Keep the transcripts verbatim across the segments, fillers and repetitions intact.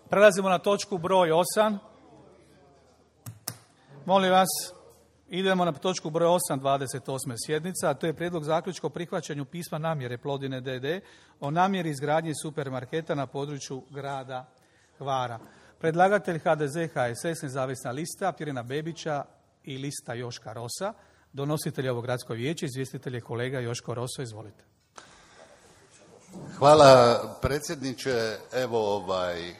Prelazimo na točku broj osam. Molim vas, idemo na točku broj osam dvadeset osme sjednica, a to je prijedlog zaključka o prihvaćanju pisma namjere Plodine D D o namjeri izgradnje supermarketa na području grada Hvara. Predlagatelj H D Z, H S S, nezavisna lista Pirina Bebića i lista Joška Rosa. Donositelj ovog gradsko vijeće, izvjestitelj je kolega Joško Roso. Izvolite. Hvala predsjedniče. Evo ovaj,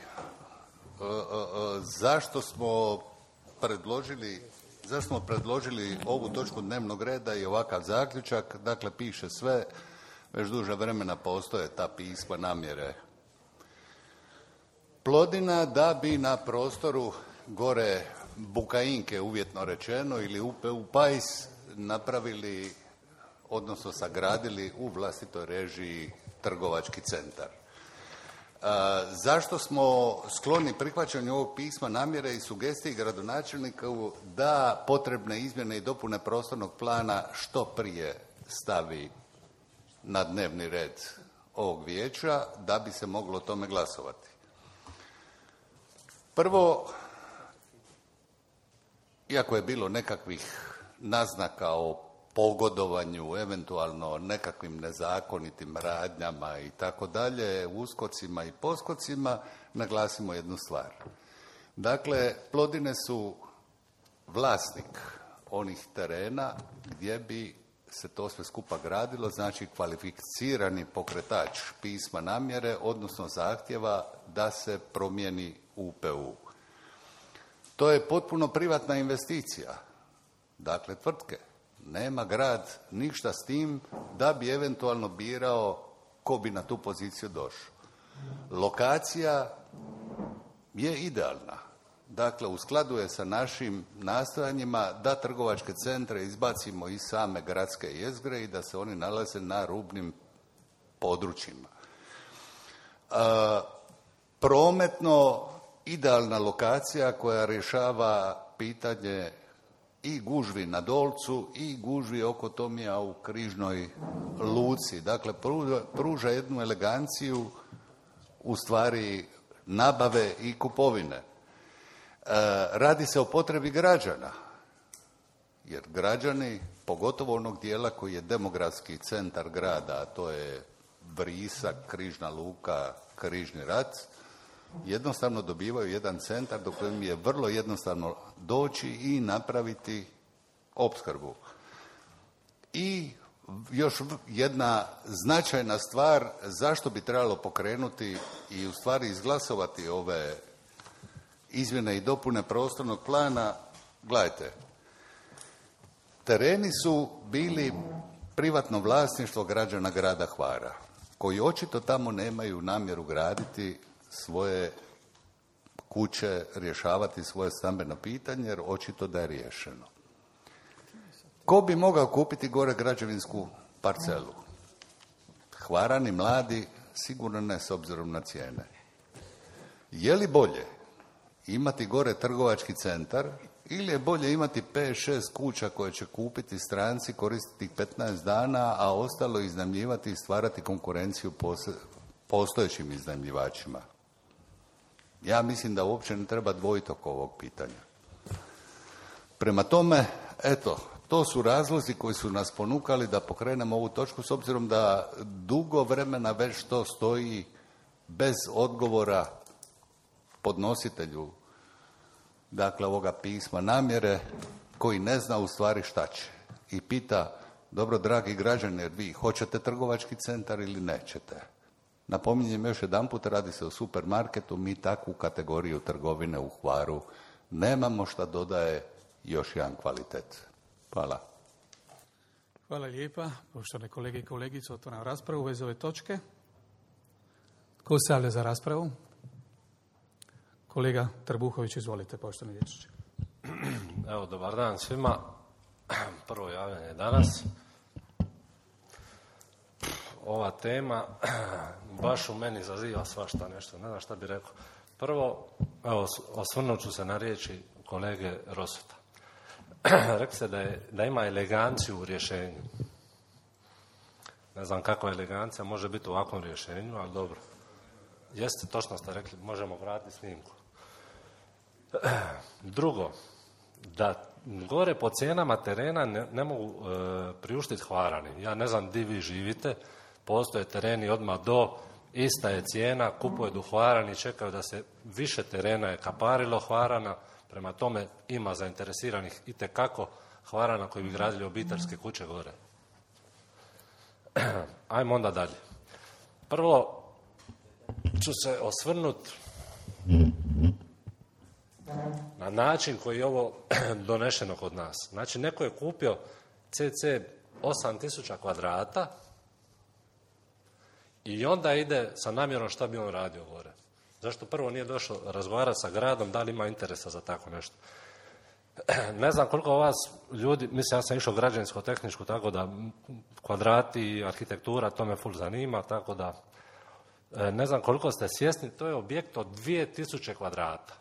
zašto smo predložili, zašto smo predložili ovu točku dnevnog reda i ovakav zaključak? Dakle, piše sve, već duže vremena postoje ta pisma namjere Plodina da bi na prostoru gore Bukainke, uvjetno rečeno, ili U P U Pajs napravili, odnosno sagradili u vlastitoj režiji trgovački centar. E, zašto smo skloni prihvaćanju ovog pisma namjere i sugestiji gradonačelnika da potrebne izmjene i dopune prostornog plana što prije stavi na dnevni red ovog vijeća da bi se moglo o tome glasovati? Prvo, iako je bilo nekakvih naznaka o pogodovanju, eventualno nekakvim nezakonitim radnjama i tako dalje, uskocima i poskocima, naglasimo jednu stvar. Dakle, Plodine su vlasnik onih terena gdje bi se to sve skupa gradilo, znači kvalificirani pokretač pisma namjere, odnosno zahtjeva da se promijeni U P U. To je potpuno privatna investicija. Dakle, tvrtke. Nema grad ništa s tim da bi eventualno birao ko bi na tu poziciju došao. Lokacija je idealna. Dakle, u skladu je sa našim nastojanjima da trgovačke centre izbacimo iz same gradske jezgre i da se oni nalaze na rubnim područjima. E, prometno idealna lokacija koja rješava pitanje i gužvi na Dolcu i gužvi oko Tomija u Križnoj luci. Dakle, pruža, pruža jednu eleganciju u stvari nabave i kupovine. E, radi se o potrebi građana, jer građani, pogotovo onog dijela koji je demografski centar grada, a to je Vrisak, Križna luka, Križni rat, jednostavno dobivaju jedan centar do kojem je vrlo jednostavno doći i napraviti opskrbu. I još jedna značajna stvar, zašto bi trebalo pokrenuti i u stvari izglasovati ove izmjene i dopune prostornog plana. Gledajte, tereni su bili privatno vlasništvo građana grada Hvara, koji očito tamo nemaju namjeru graditi svoje kuće, rješavati svoje stambeno pitanje, jer očito da je riješeno. Ko bi mogao kupiti gore građevinsku parcelu? Hvarani mladi, sigurno ne s obzirom na cijene. Je li bolje imati gore trgovački centar ili je bolje imati pet šest kuća koje će kupiti stranci, koristiti petnaest dana, a ostalo iznajmljivati i stvarati konkurenciju postojećim iznajmljivačima? Ja mislim da uopće ne treba dvojiti oko ovog pitanja. Prema tome, eto, to su razlozi koji su nas ponukali da pokrenemo ovu točku, s obzirom da dugo vremena već to stoji bez odgovora podnositelju, dakle, ovoga pisma namjere, koji ne zna u stvari šta će. I pita, dobro, dragi građani, jer vi hoćete trgovački centar ili nećete? Napominjem još jedanput, radi se o supermarketu, mi takvu kategoriju trgovine u Hvaru nemamo, šta dodaje još jedan kvalitet. Hvala. Hvala lijepa. Poštovane kolege i kolegice, otvaram raspravu u vezi ove točke. Ko se javlja za raspravu? Kolega Trbuhović, izvolite, poštovani liječniče. Evo, dobar dan svima. Prvo javljanje danas. Ova tema baš u meni izaziva svašta nešto, ne znam šta bi rekao. Prvo, evo, osvrnut ću se na riječi kolege Rosota. Rekli ste da, je, da ima eleganciju u rješenju. Ne znam kakva elegancija može biti u ovakvom rješenju, ali dobro. Jeste, točno ste rekli, možemo vratiti snimku. Drugo, da gore po cijenama terena ne, ne mogu e, priuštiti Hvarani. Ja ne znam di vi živite, postoje tereni odmah do, ista je cijena, kupuju u Hvarani, čekaju da se više terena je kaparilo Hvarana, prema tome ima zainteresiranih itekako Hvarana koji bi gradili obiteljske kuće gore. Ajmo onda dalje. Prvo ću se osvrnuti na način koji je ovo donešeno kod nas. Znači, neko je kupio cca osam tisuća kvadrata i onda ide sa namjerom šta bi on radio gore. Zašto prvo nije došao razgovarati sa gradom, da li ima interesa za tako nešto. Ne znam koliko vas ljudi, mislim ja sam išao građevinsko-tehničku, tako da kvadrati, arhitektura, to me ful zanima, tako da ne znam koliko ste svjesni, to je objekt od dvije tisuće kvadrata.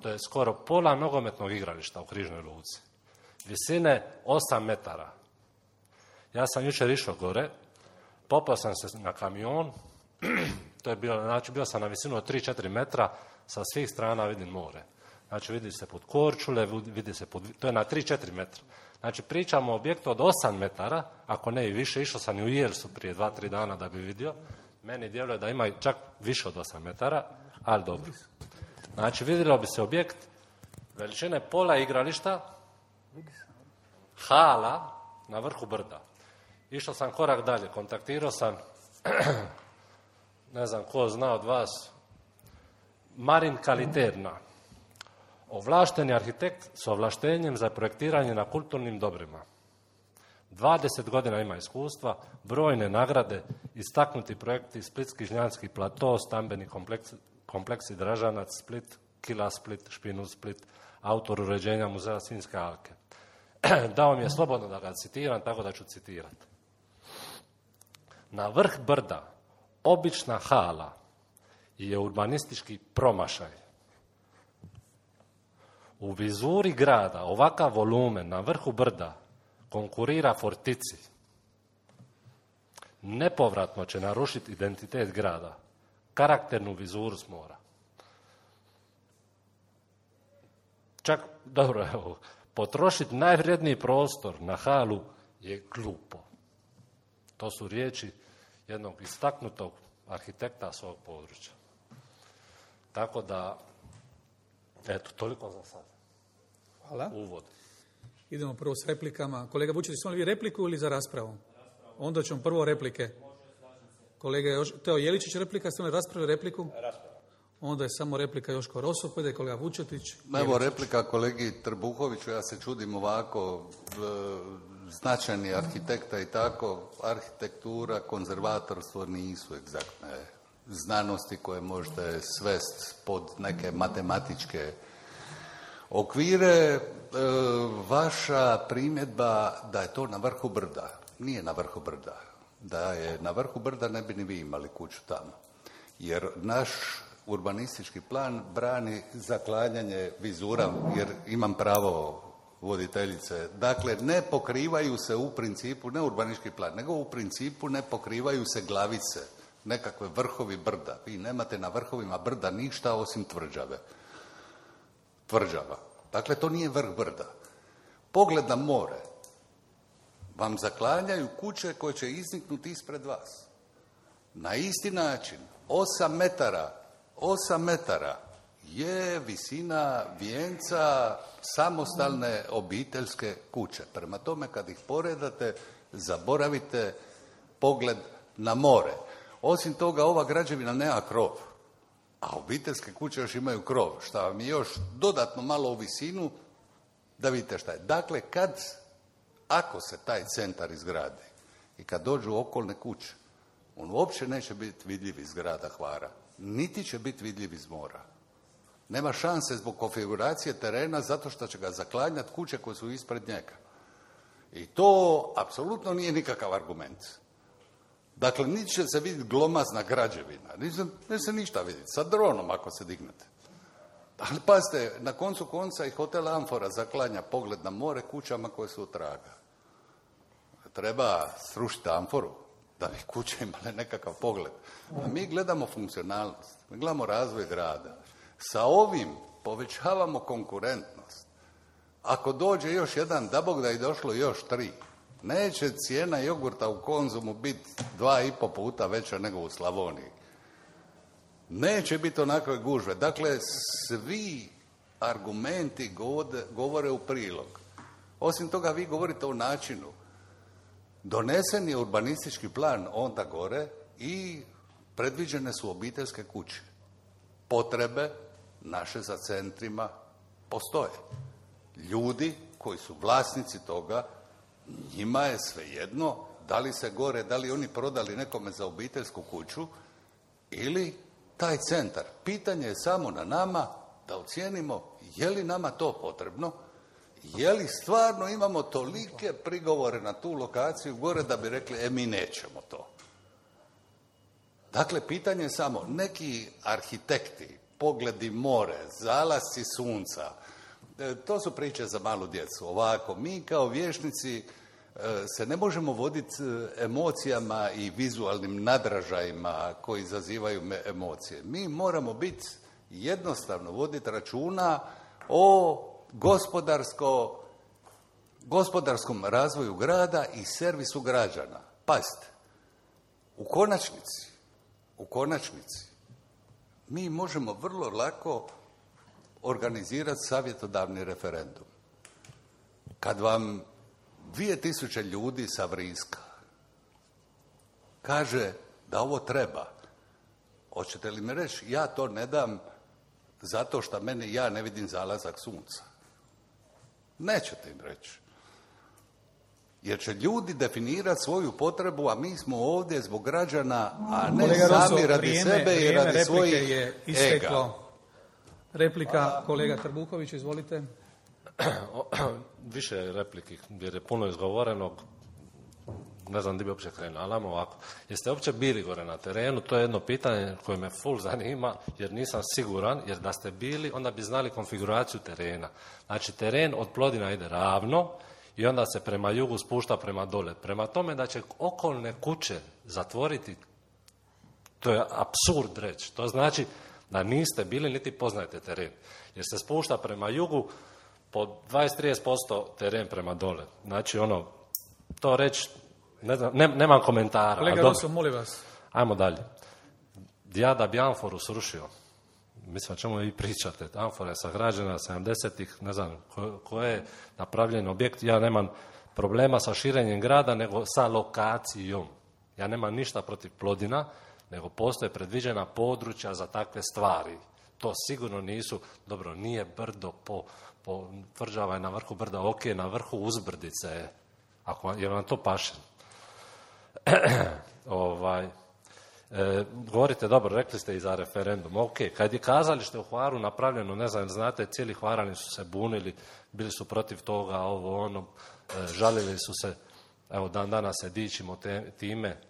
To je skoro pola nogometnog igrališta u Križnoj luci. Visine osam metara. Ja sam jučer išao gore, popao sam se na kamion, to je bilo, znači bio sam na visinu od tri do četiri metra, sa svih strana vidim more. Znači vidi se pod Korčule, vidi se pod, to je na tri do četiri metra. Znači pričamo o objektu od osam metara, ako ne i više, išao sam i u Jelsu prije dva tri dana da bi vidio. Meni djeluje da ima čak više od osam metara, ali dobro. Znači vidjelo bi se objekt veličine pola igrališta, hala na vrhu brda. Išao sam korak dalje, kontaktirao sam, ne znam ko zna od vas, Marin Kaliterna, ovlašteni arhitekt s ovlaštenjem za projektiranje na kulturnim dobrima. dvadeset godina ima iskustva, brojne nagrade, istaknuti projekti Splitski žnjanski plato, stambeni kompleks, kompleksi Dražanac, Split, Kila Split, Špinut Split, autor uređenja muzeja Sinjske alke. Dao mi je slobodno da ga citiram, tako da ću citirati. Na vrh brda obična hala je urbanistički promašaj. U vizuri grada ovakav volumen na vrhu brda konkurira fortici. Nepovratno će narušiti identitet grada, karakternu vizuru s mora. Čak, dobro, evo, potrošiti najvrijedniji prostor na halu je glupo. To su riječi jednog istaknutog arhitekta svog područja. Tako da, eto, toliko za sad. Hvala. Uvod. Idemo prvo s replikama. Kolega Vučetić, smo li vi repliku ili za raspravu? Raspravu. Onda ćemo prvo replike. Kolega Teo Jeličić, replika, ste li raspravili repliku? Raspravu. Onda je samo replika Joško Roso, pa ide kolega Vučetić. Evo replika kolegi Trbuhoviću, ja se čudim ovako, značajni arhitekta i tako, arhitektura, konzervatorstvo nisu egzaktne znanosti koje možete svesti pod neke matematičke okvire. E, vaša primjedba da je to na vrhu brda, nije na vrhu brda. Da je na vrhu brda ne bi ni vi imali kuću tamo. Jer naš urbanistički plan brani zaklanjanje vizura, jer imam pravo voditeljice. Dakle, ne pokrivaju se u principu, ne urbanistički plan, nego u principu ne pokrivaju se glavice, nekakve vrhovi brda. Vi nemate na vrhovima brda ništa osim tvrđave. Tvrđava. Dakle, to nije vrh brda. Pogled na more vam zaklanjaju kuće koje će izniknuti ispred vas. Na isti način, osam metara, osam metara je visina vijenca samostalne obiteljske kuće. Prema tome, kad ih poredate, zaboravite pogled na more. Osim toga, ova građevina nema krov, a obiteljske kuće još imaju krov, što vam je još dodatno malo u visinu da vidite šta je. Dakle, kad, ako se taj centar izgradi i kad dođu okolne kuće, on uopće neće biti vidljiv iz grada Hvara, niti će biti vidljiv iz mora. Nema šanse zbog konfiguracije terena zato što će ga zaklanjati kuće koje su ispred njega. I to apsolutno nije nikakav argument. Dakle, niti će se vidjeti glomazna građevina, ne se ništa vidjeti, sa dronom ako se dignete. Ali pazite, na koncu konca i hotel Amfora zaklanja pogled na more kućama koje su od traga. Treba srušiti Amforu, da bi kuće imale nekakav pogled. A mi gledamo funkcionalnost, mi gledamo razvoj grada. Sa ovim povećavamo konkurentnost. Ako dođe još jedan, da Bog da je došlo još tri, neće cijena jogurta u Konzumu biti dva i po puta veća nego u Slavoniji. Neće biti onakve gužve. Dakle, svi argumenti govore u prilog. Osim toga, vi govorite o načinu. Donesen je urbanistički plan onda gore i predviđene su obiteljske kuće. Potrebe naše za centrima postoje. Ljudi koji su vlasnici toga, njima je svejedno da li se gore, da li oni prodali nekome za obiteljsku kuću ili taj centar. Pitanje je samo na nama da ocijenimo je li nama to potrebno, je li stvarno imamo tolike prigovore na tu lokaciju gore da bi rekli e mi nećemo to. Dakle, pitanje je samo neki arhitekti, pogledi more, zalasci sunca, to su priče za malu djecu. Ovako, mi kao vješnici se ne možemo voditi emocijama i vizualnim nadražajima koji izazivaju emocije. Mi moramo biti jednostavno voditi računa o gospodarsko, gospodarskom razvoju grada i servisu građana. Pazite, u konačnici, u konačnici, mi možemo vrlo lako organizirati savjetodavni referendum. Kad vam dvije tisuće ljudi sa Vriska kaže da ovo treba, hoćete li mi reći ja to ne dam zato što meni ja ne vidim zalazak sunca? Nećete im reći. Jer će ljudi definirati svoju potrebu, a mi smo ovdje zbog građana, a ne kolega sami Rosso, radi vrijeme, sebe i radi svojih je isteklo. ega. Replika, kolega Trbuković, izvolite. Više je repliki, jer je puno izgovorenog, ne znam gdje bi uopće krenuo, ali ajmo ovako. Jeste uopće bili gore na terenu? To je jedno pitanje koje me full zanima, jer nisam siguran, jer da ste bili, onda bi znali konfiguraciju terena. Znači, teren od Plodina ide ravno i onda se prema jugu spušta prema dole. Prema tome da će okolne kuće zatvoriti, to je apsurd reći. To znači da niste bili niti poznajete teren. Jer se spušta prema jugu po dvadeset do trideset posto teren prema dole. Znači, ono, to reći, ne znam, ne, nemam komentara. Kolega Rosso, molim vas. Ajmo dalje. Ja da bi Amforu srušio, mislim, o čemu vi pričate, Amfora je sagrađena sedamdesetih, ne znam ko, ko je napravljen objekt, ja nemam problema sa širenjem grada, nego sa lokacijom. Ja nemam ništa protiv Plodina, nego postoje predviđena područja za takve stvari. To sigurno nisu, dobro, nije brdo po, po tvrđava je na vrhu brda, ok, na vrhu uzbrdice je, ako je vam to paše. ovaj, e, govorite, dobro, rekli ste i za referendum, ok, kad je kazalište u Hvaru napravljeno, ne znam, znate, cijeli Hvarani su se bunili, bili su protiv toga, ovo, ono, e, žalili su se, evo, dan danas se dičimo te, time.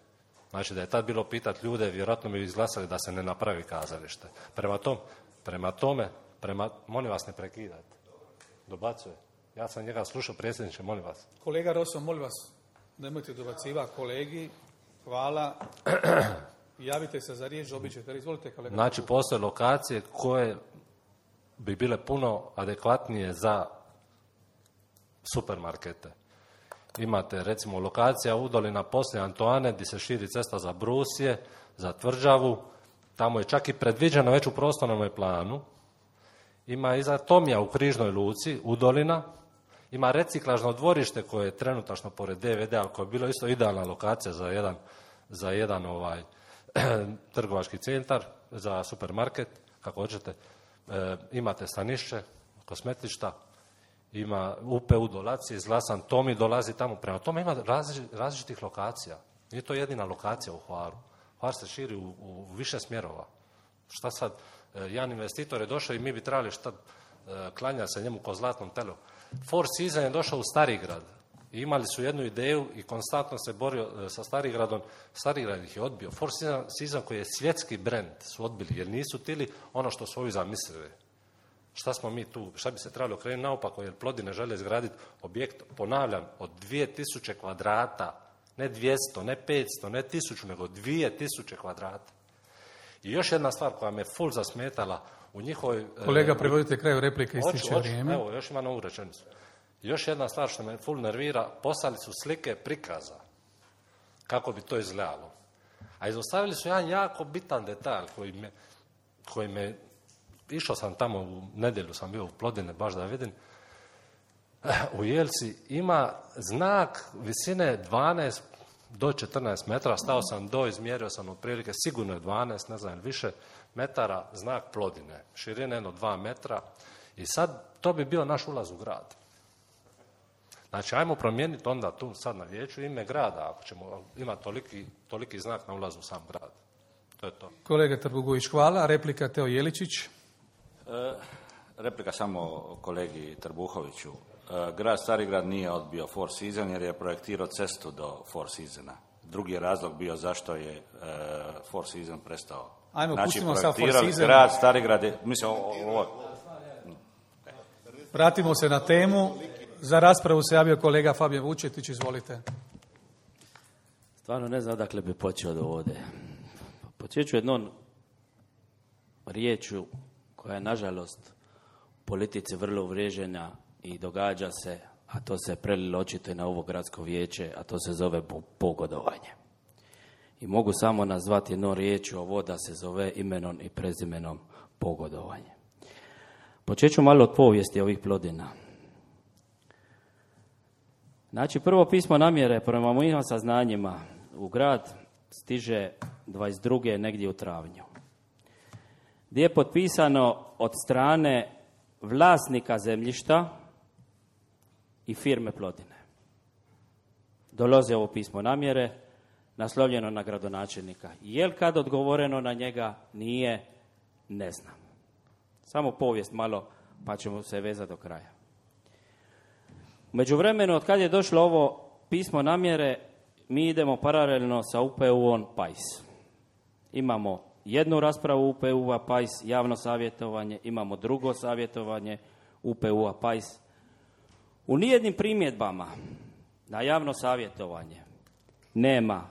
Znači, da je tad bilo pitati ljude, vjerojatno bi izglasali da se ne napravi kazalište. Prema, tom, prema tome, prema, molim vas, ne prekidajte. Dobacuje. Ja sam njega slušao, predsjedniče, molim vas. Kolega Rosso, molim vas, nemojte dobacivati kolegi. Hvala. Javite se za riječ, dobit ćete. Izvolite, kolega. Znači, postoje lokacije koje bi bile puno adekvatnije za supermarkete. Imate, recimo, lokacija Udolina poslije Antoane, gdje se širi cesta za Brusje, za Tvrđavu. Tamo je čak i predviđeno već u prostornom planu. Ima i za Tomija u Križnoj luci, Udolina. Ima reciklažno dvorište koje je trenutačno pored D V D, ali koje je bilo isto idealna lokacija za jedan, za jedan ovaj, trgovački centar, za supermarket, kako hoćete. E, imate stanišće, kosmetišta, ima U P U dolazi, izglasan Tomi dolazi tamo. Prema tome ima različitih lokacija. Nije to jedina lokacija u Hvaru. Hvar se širi u, u više smjerova. Šta sad? E, jedan investitor je došao i mi bi trebali šta, e, klanja se njemu ko zlatnom telu. Four Seasons je došao u Starigrad. I imali su jednu ideju i konstantno se borio e, sa Starigradom. Starigrad ih je odbio. Four Seasons koji je svjetski brend su odbili jer nisu tili ono što su ovi zamislili. Šta smo mi tu, šta bi se trebalo okrenuti naopako, jer Plodine žele izgraditi objekt, ponavljam, od dvije tisuće kvadrata Ne dvjesto, ne petsto, ne tisuću, nego dvije tisuće kvadrata. I još jedna stvar koja me full zasmetala u njihovoj... Kolega, prevodite kraju replike, ističe oču, vrijeme. Evo, još ima novu rečenicu. Još jedna stvar što me full nervira, poslali su slike prikaza kako bi to izgledalo. A izostavili su jedan jako bitan detalj koji me, koji me išao sam tamo u nedjelju, sam bio u Plodine baš da vidim, u Jelci ima znak visine dvanaest do četrnaest metara, stao sam do, izmjerio sam otprilike, sigurno je dvanaest, ne znam, više metara, znak Plodine, širine jedno dva metra i sad to bi bio naš ulaz u grad. Znači, ajmo promijeniti onda tu sad na vijeću ime grada, ako ćemo imati toliki, toliki znak na ulazu u sam grad. To je to. Kolega Trbugović, hvala. Replika Teo Jeličić. E, replika samo kolegi Trbuhoviću. E, grad Starigrad nije odbio Four Seasons jer je projektirao cestu do Four Seasona. Drugi je razlog bio zašto je e, Four Seasons prestao. Ajmo, znači, pustimo sad Four Seasons. Grad Starigrad je, mislim, ovo... Vratimo se na temu. Za raspravu se javio kolega Fabijan Vučetić, izvolite. Stvarno ne znam odakle bi počeo do ovdje. Počet ću jednom riječu koja je nažalost u politici vrlo uvriježena i događa se, a to se prelilo očito i na ovo gradsko vijeće, a to se zove pogodovanje. I mogu samo nazvati jednom riječu ovo da se zove imenom i prezimenom pogodovanje. Počet ću malo od povijesti ovih Plodina. Znači, prvo pismo namjere prema mojim saznanjima u grad stiže dvadeset druge negdje u travnju, gdje je potpisano od strane vlasnika zemljišta i firme Plodine. Dolazi ovo pismo namjere, naslovljeno na gradonačelnika. Jel kad odgovoreno na njega? Nije, ne znam. Samo povijest malo, pa ćemo se vezati do kraja. U međuvremenu, od kad je došlo ovo pismo namjere, mi idemo paralelno sa U P U-om Pajs. Imamo jednu raspravu U P U-a Pajs, javno savjetovanje, imamo drugo savjetovanje U P U-a Pajs. U nijednim primjedbama na javno savjetovanje nema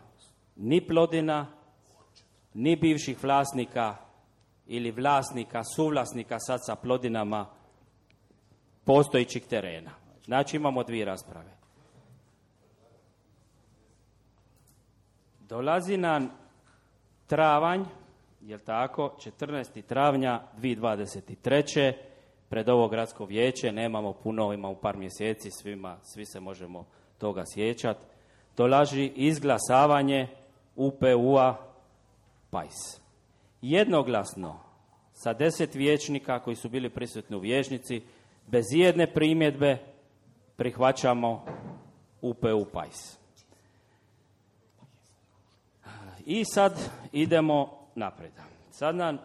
ni Plodina, ni bivših vlasnika ili vlasnika, suvlasnika sad sa Plodinama postojićih terena. Znači imamo dvije rasprave. Dolazi nam travanj, jel tako, četrnaestog travnja dvije tisuće dvadeset treće pred ovo gradsko vijeće, nemamo puno, imamo par mjeseci, svima, svi se možemo toga sjećati. Dolazi izglasavanje U P U-a Pajs. Jednoglasno, sa deset vijećnika koji su bili prisutni u vijećnici, bez jedne primjedbe, prihvaćamo U P U Pajs. I sad idemo naprijed. Sad nam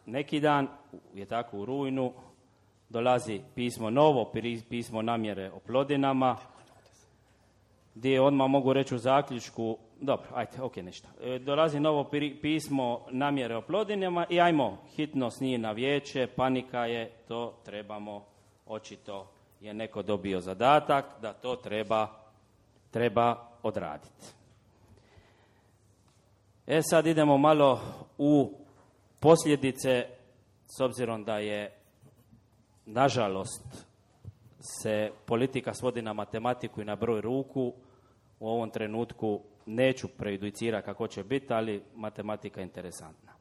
neki dan, je tako u rujnu, dolazi pismo novo, pismo namjere o Plodinama, gdje odmah mogu reći u zaključku, dobro, ajde, ok, ništa. E, dolazi novo pismo namjere o Plodinama i ajmo, hitno s njih na vijeće, panika je, to trebamo, očito je neko dobio zadatak da to treba, treba odraditi. E sad idemo malo u posljedice, s obzirom da je, nažalost, se politika svodi na matematiku i na broj ruku. U ovom trenutku neću prejudicirati kako će biti, ali matematika je interesantna.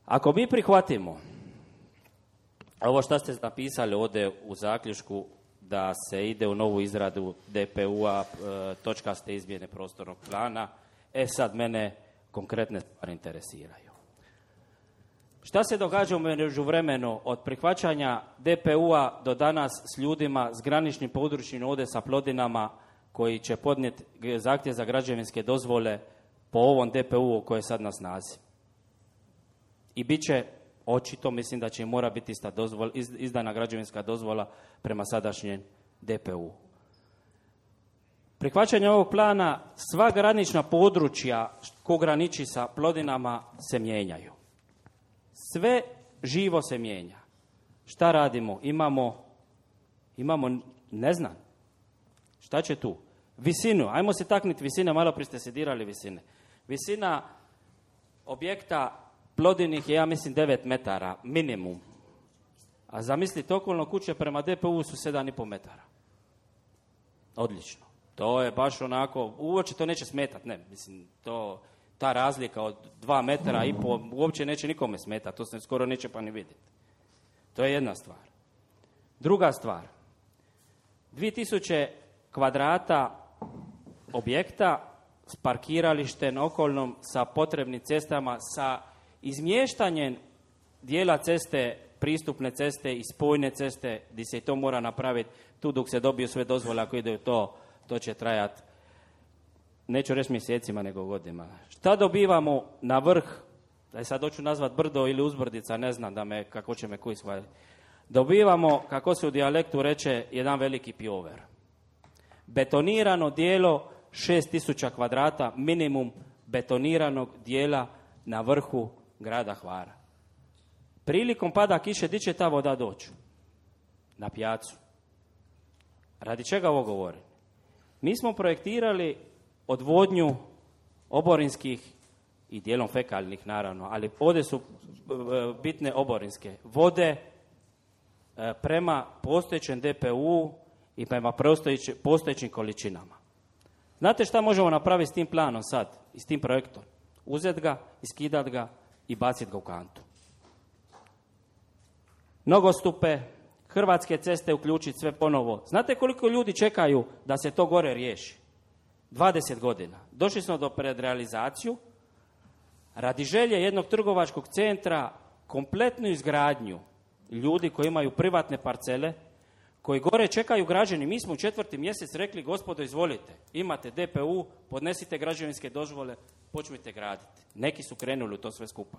Ako mi prihvatimo ovo što ste napisali ovdje u zaključku, da se ide u novu izradu D P U-a, točkaste izmjene prostornog plana, e sad mene konkretne stvari interesiraju. Šta se događa u međuvremenu od prihvaćanja D P U-a do danas s ljudima s graničnim područjem ovdje sa Plodinama koji će podnijeti zahtjev za građevinske dozvole po ovom D P U-u koji je sad na snazi? I bit će očito, mislim da će mora biti ista dozvola, izdana građevinska dozvola prema sadašnjem D P U. Prihvaćanje ovog plana, sva granična područja ko graniči sa Plodinama se mijenjaju. Sve živo se mijenja. Šta radimo? Imamo, imamo, ne znam, šta će tu? visinu, ajmo se takniti visine, malo prije ste se dirali visine. Visina objekta Plodinih je, ja mislim, devet metara, minimum. A zamislite, okolno kuće prema D P U su sedam i pol metara. Odlično. To je baš onako, uopće to neće smetati, ne, mislim, to, ta razlika od dva metara i pol uopće neće nikome smetati, to se skoro neće pa ni vidjeti. To je jedna stvar. Druga stvar, dvije tisuće kvadrata objekta s parkiralištem okolnom, sa potrebnim cestama, sa izmještanjem dijela ceste, pristupne ceste i spojne ceste, gdje se i to mora napraviti, tu dok se dobiju sve dozvole, ako ide to, to će trajati, neću reći mjesecima, nego godinama. Šta dobivamo na vrh, da sad hoću nazvat brdo ili uzbrdica, ne znam da me, kako će me koji shvatiti. Dobivamo, kako se u dijalektu reče, jedan veliki pjover. Betonirano dijelo šest tisuća kvadrata, minimum betoniranog dijela na vrhu grada Hvara. Prilikom pada kiše, di će ta voda doći? Na pijacu. Radi čega ovo govorim? Mi smo projektirali odvodnju oborinskih i dijelom fekalnih, naravno, ali ovdje su bitne oborinske vode prema postojećem D P U i prema postojećim količinama. Znate šta možemo napraviti s tim planom sad i s tim projektom? Uzet ga, iskidat ga i bacit ga u kantu. Nogostupe, Hrvatske ceste uključiti sve ponovo. Znate koliko ljudi čekaju da se to gore riješi? dvadeset godina. Došli smo do predrealizaciju. Radi želje jednog trgovačkog centra, kompletnu izgradnju ljudi koji imaju privatne parcele, koji gore čekaju građani. Mi smo u četvrti mjesec rekli, gospodo, izvolite, imate D P U, podnesite građevinske dozvole, počnite graditi. Neki su krenuli u to sve skupa.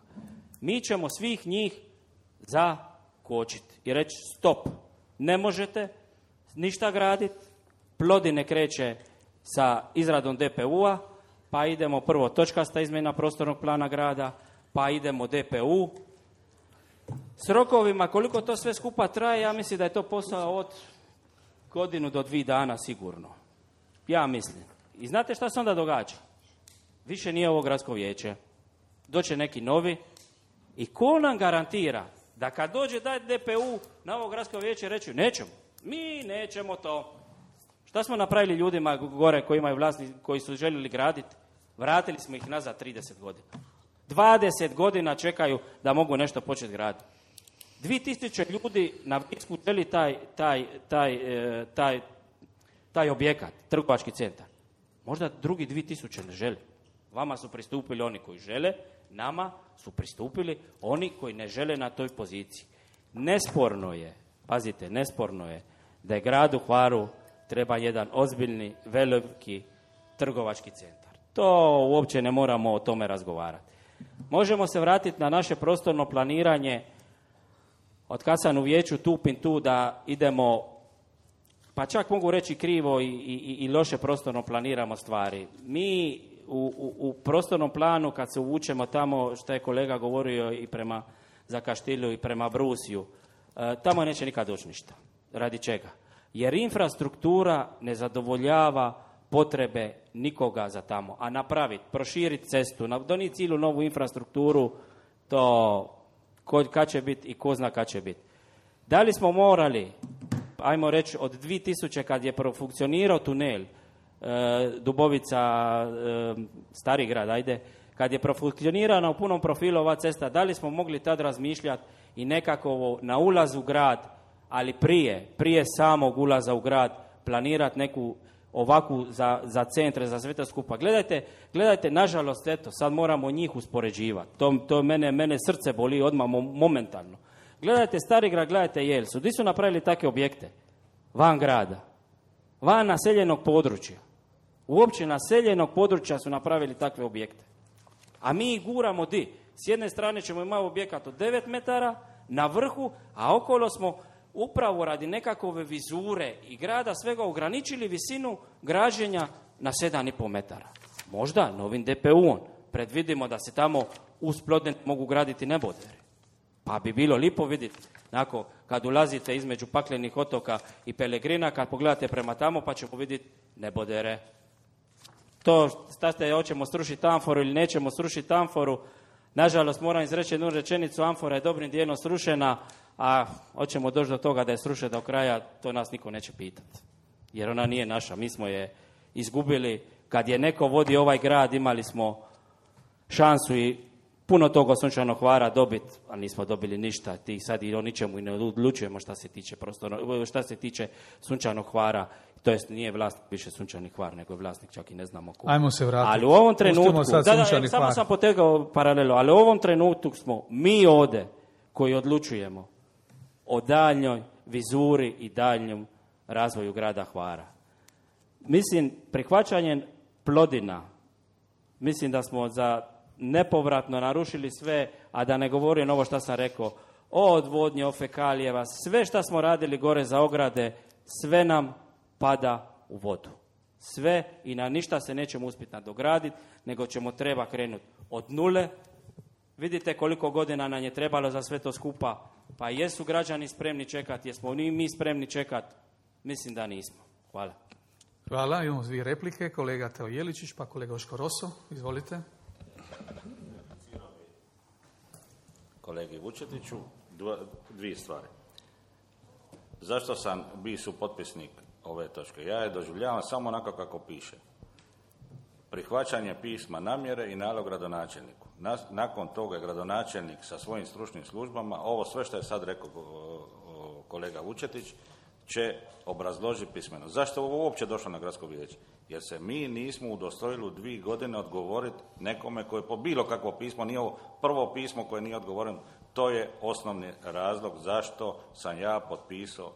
Mi ćemo svih njih zakočiti i reći stop, ne možete ništa graditi, Plodine kreće sa izradom D P U-a, pa idemo prvo točkasta izmjena prostornog plana grada, pa idemo D P U. S rokovima, koliko to sve skupa traje, ja mislim da je to posao od godinu do dvije dana sigurno. Ja mislim. I znate šta se onda događa? Više nije ovo gradsko vijeće. Doće neki novi i ko nam garantira da kad dođe dati D P U na ovo gradsko vijeće reći nećemo, mi nećemo to. Šta smo napravili ljudima gore koji imaju vlasni, koji su željeli graditi? Vratili smo ih nazad trideset godina. dvadeset godina čekaju da mogu nešto početi graditi. dvije tisuće ljudi na Vicku želi taj, taj, taj, taj, taj objekat, trgovački centar. Možda drugi dvije tisuće ne želi. Vama su pristupili oni koji žele, nama su pristupili oni koji ne žele na toj poziciji. Nesporno je, pazite, nesporno je da je gradu Hvaru treba jedan ozbiljni, veliki trgovački centar. To uopće ne moramo o tome razgovarati. Možemo se vratiti na naše prostorno planiranje. Od kad sam u vijeću tupim tu da idemo, pa čak mogu reći krivo i, i, i loše prostorno planiramo stvari. Mi u, u, u prostornom planu kad se uvučemo tamo, što je kolega govorio i prema Zakaštilju i prema Brusiju, e, tamo neće nikad doći ništa. Radi čega? Jer infrastruktura ne zadovoljava potrebe nikoga za tamo. A napraviti, proširiti cestu, donijeti cijelu novu infrastrukturu, to ko, kad će biti i ko zna kad će biti. Da li smo morali, ajmo reći, od dvije tisuće kad je profunkcionirao tunel e, Dubovica, e, Stari grad, ajde, kad je profunkcionirana u punom profilu ova cesta, da li smo mogli tad razmišljati i nekako na ulaz u grad, ali prije, prije samog ulaza u grad, planirati neku ovakvu za, za centre, za sve to skupa. Gledajte, gledajte, nažalost, eto, sad moramo njih uspoređivati. To, to mene, mene srce boli odmah momentalno. Gledajte Stari grad, gledajte Jelsu. Gdje su napravili takve objekte? Van grada. Van naseljenog područja. Uopće naseljenog područja su napravili takve objekte. A mi ih guramo di? S jedne strane ćemo imati objekat od devet metara na vrhu, a okolo smo upravo radi nekakove vizure i grada svega ograničili visinu građenja na sedam i pol metara. Možda novim D P U-om predvidimo da se tamo uz Plodne mogu graditi neboderi. Pa bi bilo lipo vidjeti, onako, kad ulazite između Paklenih otoka i Pelegrina, kad pogledate prema tamo, pa ćemo vidjeti nebodere. To, šta ste, hoćemo srušiti amforu ili nećemo srušiti amforu, nažalost moram izreći jednu rečenicu, amfora je dobrim dijelom srušena, a hoćemo doći do toga da je srušena do kraja, to nas niko neće pitati. Jer ona nije naša, mi smo je izgubili. Kad je neko vodio ovaj grad, imali smo šansu i puno toga Sunčanog Hvara dobiti, a nismo dobili ništa. Ti sad i o ničemu i ne odlučujemo šta se tiče prostorno, šta se tiče Sunčanog Hvara. To jest nije vlasnik više Sunčani Hvar, nego je vlasnik čak i ne znamo ko. Ajmo se vratiti. Ali u ovom trenutku, da, da, Sunčani samo Hvar. sam potegao paralelu, ali u ovom trenutku smo mi ovdje koji odlučujemo o daljnjoj vizuri i daljnjem razvoju grada Hvara. Mislim, prihvaćanjem Plodina, mislim da smo za nepovratno narušili sve, a da ne govorim ovo što sam rekao, o odvodnje, o fekalijeva, sve što smo radili gore za ograde, sve nam pada u vodu. Sve i na ništa se nećemo uspjeti nadograditi, nego ćemo treba krenuti od nule. Vidite koliko godina nam je trebalo za sve to skupa, pa jesu građani spremni čekati, jesmo ni mi spremni čekati? Mislim da nismo. Hvala. Hvala, imamo dvije replike, kolega Teo Jeličić, pa kolega Oško Roso, izvolite. Kolegi Vučetiću, dva, dvije stvari. Zašto sam bio supotpisnik ove točke? Ja je doživljavam samo onako kako piše. Prihvaćanje pisma namjere i nalog gradonačelniku. Nakon toga je gradonačelnik sa svojim stručnim službama, ovo sve što je sad rekao kolega Vučetić, će obrazložiti pismeno. Zašto je ovo uopće došlo na gradsko vijeće? Jer se mi nismo udostojili u dvije godine odgovoriti nekome koje po bilo kakvo pismo, nije ovo prvo pismo koje nije odgovoreno, to je osnovni razlog zašto sam ja potpisao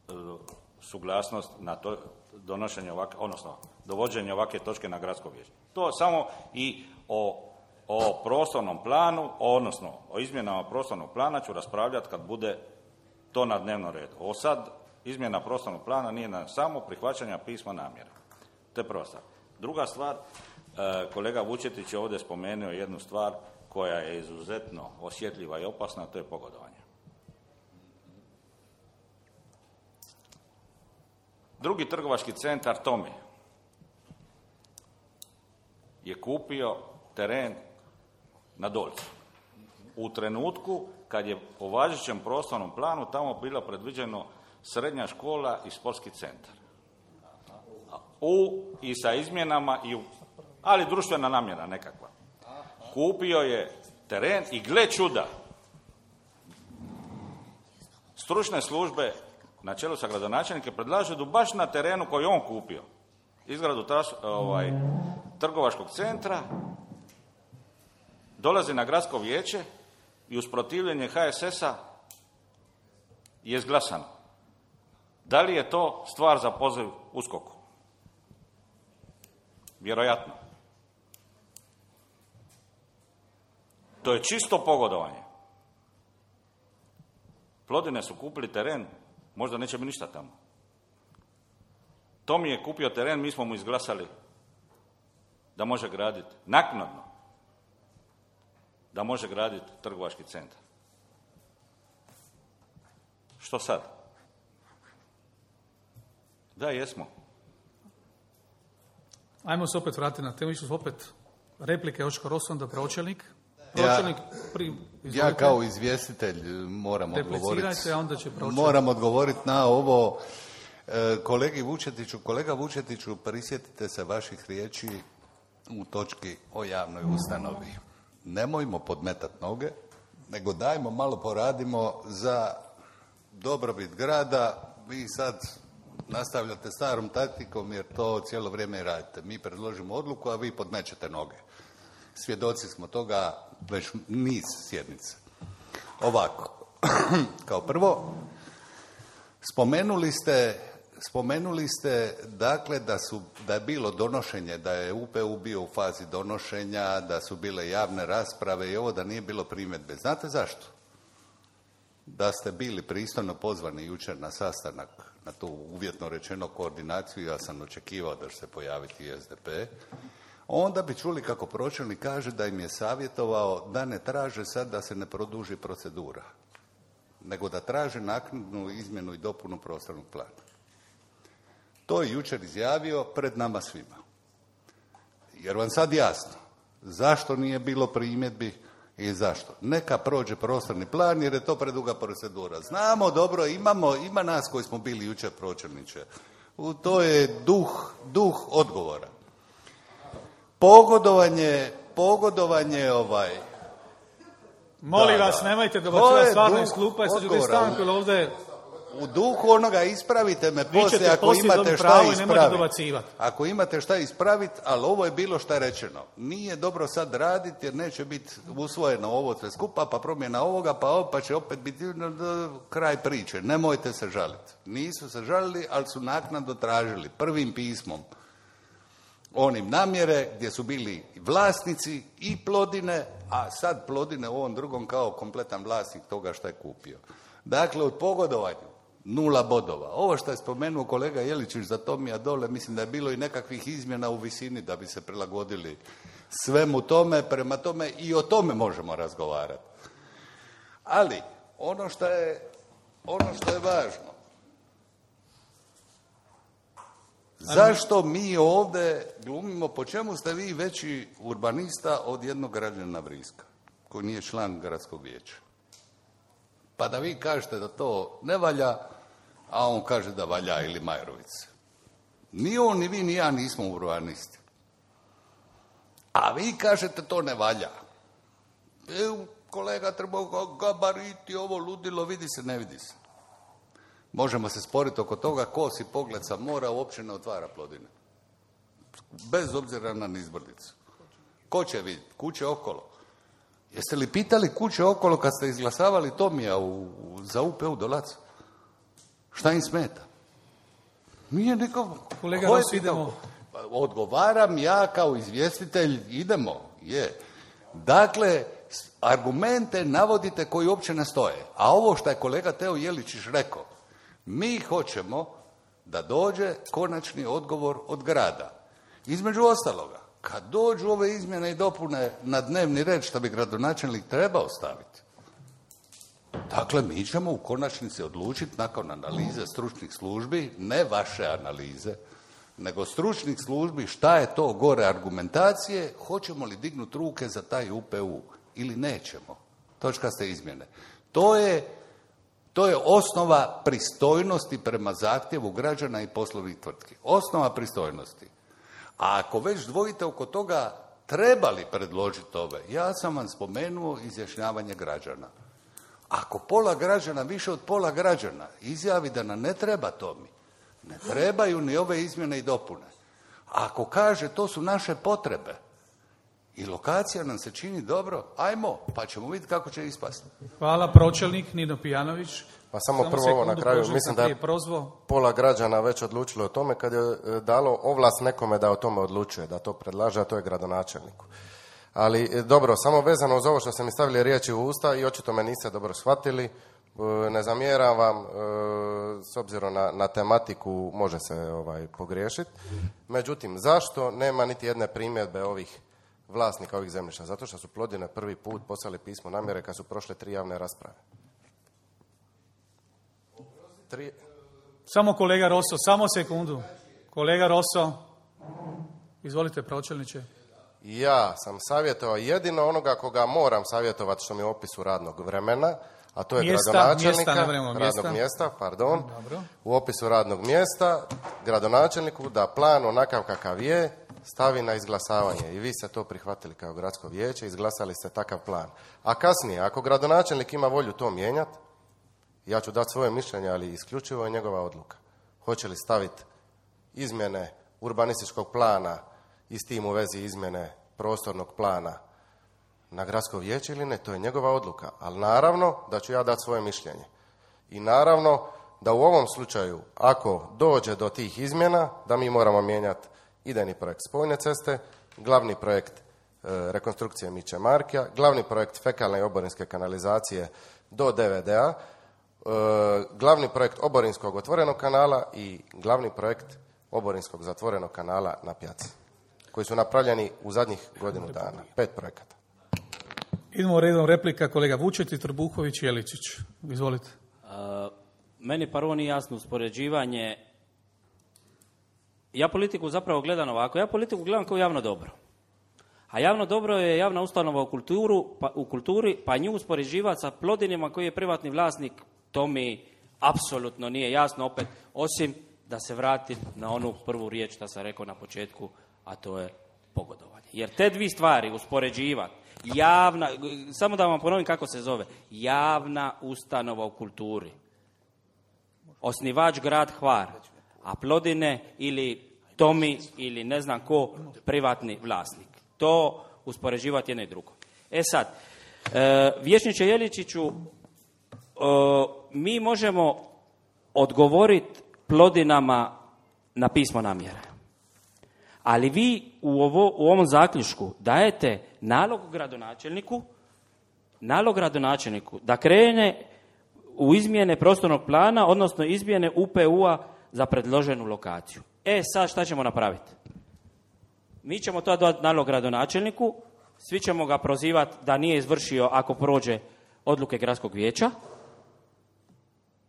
uh, suglasnost na to donošenje ovakve, odnosno dovođenje ovakve točke na gradsko vijeće. To samo i o, o prostornom planu, odnosno o izmjenama prostornog plana ću raspravljati kad bude to na dnevnom redu. Ovo sad izmjena prostornog plana nije na samo prihvaćanja pisma namjere. To je prva stvar. Druga stvar, kolega Vučetić je ovdje spomenuo jednu stvar koja je izuzetno osjetljiva i opasna, to je pogodovanje. Drugi trgovački centar Tomi je kupio teren na Dolcu. U trenutku kad je po važećem prostornom planu tamo bilo predviđeno srednja škola i sportski centar. U, i sa izmjenama, i u, ali društvena namjera nekakva. Kupio je teren i gle čuda, stručne službe na čelu sa gradonačelnikom predlažu da baš na terenu koji on kupio, izgradu tras, ovaj, trgovačkog centra, dolazi na gradsko vijeće i uz protivljenje H S S-a je izglasano. Da li je to stvar za poziv U S K O K-u? Vjerojatno. To je čisto pogodovanje. Plodine su kupili teren, možda neće biti ništa tamo. Tomi je kupio teren, mi smo mu izglasali da može graditi, naknadno, da može graditi trgovački centar. Što sad? Da, jesmo. Ajmo se opet vratiti na temu, su opet replike Oško Roso, onda pročelnik. Pročelnik, pri, ja kao izvjestitelj moram odgovoriti. A onda će moram odgovoriti na ovo e, kolegi Vučetiću. Kolega Vučetiću, prisjetite se vaših riječi u točki o javnoj ustanovi. Nemojmo podmetati noge, nego dajmo malo poradimo za dobrobit grada. Vi sad nastavljate starom taktikom jer to cijelo vrijeme radite. Mi predložimo odluku, a vi podmećete noge. Svjedoci smo toga već niz sjednica. Ovako, kao prvo, spomenuli ste, spomenuli ste dakle da, su, da je bilo donošenje, da je U P U bio u fazi donošenja, da su bile javne rasprave i ovo, da nije bilo primjedbe. Znate zašto? Da ste bili pristojno pozvani jučer na sastanak, na tu uvjetno rečeno koordinaciju, ja sam očekivao da će se pojaviti i S D P. onda bi čuli kako pročelnik kaže da im je savjetovao da ne traže sad da se ne produži procedura, nego da traže naknadnu izmjenu i dopunu prostornog plana. To je jučer izjavio pred nama svima. Jer vam sad jasno zašto nije bilo primjedbi i zašto. Neka prođe prostorni plan jer je to preduga procedura. Znamo dobro, imamo, ima nas koji smo bili jučer pročelniče. To je duh, duh odgovora. Pogodovanje, pogodovanje ovaj... Molim da, vas, da. nemojte dobacivati stvarno iz duh klupa, jer sad ću odgovora. stanku, ili ovdje... U duhu onoga ispravite me Vi ćete poslije ako poslije imate dobiti šta pravo i nemojte ispraviti. dobacivati. Ako imate šta ispraviti, ali ovo je bilo šta je rečeno. Nije dobro sad raditi jer neće biti usvojeno ovo sve skupa, pa promjena ovoga, pa ovo, pa će opet biti kraj priče. Nemojte se žaliti. Nisu se žalili, ali su naknadno tražili prvim pismom onim namjere gdje su bili vlasnici i Plodine, a sad Plodine u ovom drugom kao kompletan vlasnik toga što je kupio. Dakle, od pogodovanju nula bodova. Ovo što je spomenuo kolega Jeličić za Tomija dole, mislim da je bilo i nekakvih izmjena u visini da bi se prilagodili svemu tome, prema tome i o tome možemo razgovarati. Ali, ono što je, ono što je važno, zašto mi ovdje glumimo, po čemu ste vi veći urbanista od jednog građanina Vriska, koji nije član gradskog vijeća? Pa da vi kažete da to ne valja, a on kaže da valja, ili Majrović. Ni on, ni vi, ni ja nismo urbanisti. A vi kažete to ne valja. E, kolega treba gabariti, ovo ludilo, vidi se, ne vidi se. Možemo se sporiti oko toga ko si pogled sa mora uopće ne otvara Plodine. Bez obzira na nizbrdicu. Ko će vidjeti? Kuće okolo. Jeste li pitali kuće okolo kad ste izglasavali Tomija u, u, za U P U Dolac? Šta im smeta? Nije nikako. Kolega Ros, idemo. Odgovaram ja kao izvjestitelj, idemo, je. Dakle, argumente navodite koji uopće ne stoje. A ovo što je kolega Teo Jeličić rekao, mi hoćemo da dođe konačni odgovor od grada. Između ostaloga, kad dođu ove izmjene i dopune na dnevni red što bi gradonačelnik trebao staviti, dakle, mi ćemo u konačnici odlučiti nakon analize stručnih službi, ne vaše analize, nego stručnih službi šta je to gore argumentacije, hoćemo li dignuti ruke za taj U P U ili nećemo. Točkaste izmjene. To je, to je osnova pristojnosti prema zahtjevu građana i poslovnih tvrtki. Osnova pristojnosti. A ako već dvojite oko toga, treba li predložiti ove? Ja sam vam spomenuo izjašnjavanje građana. Ako pola građana, više od pola građana, izjavi da nam ne treba to mi, ne trebaju ni ove izmjene i dopune. Ako kaže to su naše potrebe i lokacija nam se čini dobro, ajmo, pa ćemo vidjeti kako će ispasti. Hvala, pročelnik Nino Pijanović. Pa samo, samo prvo ovo na kraju, mislim da je pola građana već odlučilo o tome kad je dalo ovlast nekome da o tome odlučuje, da to predlaže, a to je gradonačelniku. Ali dobro, samo vezano uz ovo što ste mi stavili riječi u usta i očito me niste dobro shvatili, ne zamjeram vam, s obzirom na, na tematiku može se ovaj, pogriješiti. Međutim, zašto nema niti jedne primjedbe ovih vlasnika ovih zemljišta? Zato što su Plodine prvi put poslali pismo namjere kad su prošle tri javne rasprave. Tri... Samo kolega Rosso, samo sekundu. Kolega Rosso, izvolite pročelniče. Ja sam savjetovao jedino onoga koga moram savjetovati što mi je u opisu radnog vremena, a to je mjesta, gradonačelnika, mjesta, radnog mjesta. mjesta, pardon, Dobro. U opisu radnog mjesta, gradonačelniku da plan onakav kakav je stavi na izglasavanje i vi ste to prihvatili kao gradsko vijeće, izglasali ste takav plan. A kasnije, ako gradonačelnik ima volju to mijenjati, ja ću dati svoje mišljenje, ali isključivo je njegova odluka. Hoće li staviti izmjene urbanističkog plana i s tim u vezi izmjene prostornog plana na gradsko vijeće ili ne, to je njegova odluka. Ali naravno da ću ja dati svoje mišljenje. I naravno da u ovom slučaju, ako dođe do tih izmjena, da mi moramo mijenjati idejni projekt spojne ceste, glavni projekt e, rekonstrukcije Miće Markija, glavni projekt fekalne i oborinske kanalizacije do D V D-a, e, glavni projekt oborinskog otvorenog kanala i glavni projekt oborinskog zatvorenog kanala na Pjaci. koji su napravljeni u zadnjih godinu dana. Pet projekata. Idemo redom replika kolega Vučetić, Trbuhović i Jeličić. Izvolite. Uh, meni prvo nije jasno uspoređivanje. Ja politiku zapravo gledam ovako. Ja politiku gledam kao javno dobro. A javno dobro je javna ustanova u, kulturu, pa, u kulturi, pa nju uspoređivati sa Plodinima koji je privatni vlasnik, to mi apsolutno nije jasno opet, osim da se vratim na onu prvu riječ što sam rekao na početku, a to je pogodovanje. Jer te dvije stvari uspoređivati, javna, samo da vam ponovim kako se zove, javna ustanova u kulturi, osnivač grad Hvar, a Plodine ili Tomi ili ne znam ko, privatni vlasnik. To uspoređivati jedno i drugo. E sad, e, vijećniče Jeličiću, e, mi možemo odgovoriti Plodinama na pismo namjere. Ali vi u, ovo, u ovom zaključku dajete nalog gradonačelniku, nalog gradonačelniku da krene u izmjene prostornog plana, odnosno izmjene U P U-a za predloženu lokaciju. E sad šta ćemo napraviti? Mi ćemo to dati nalog gradonačelniku, svi ćemo ga prozivati da nije izvršio ako prođe odluke gradskog vijeća,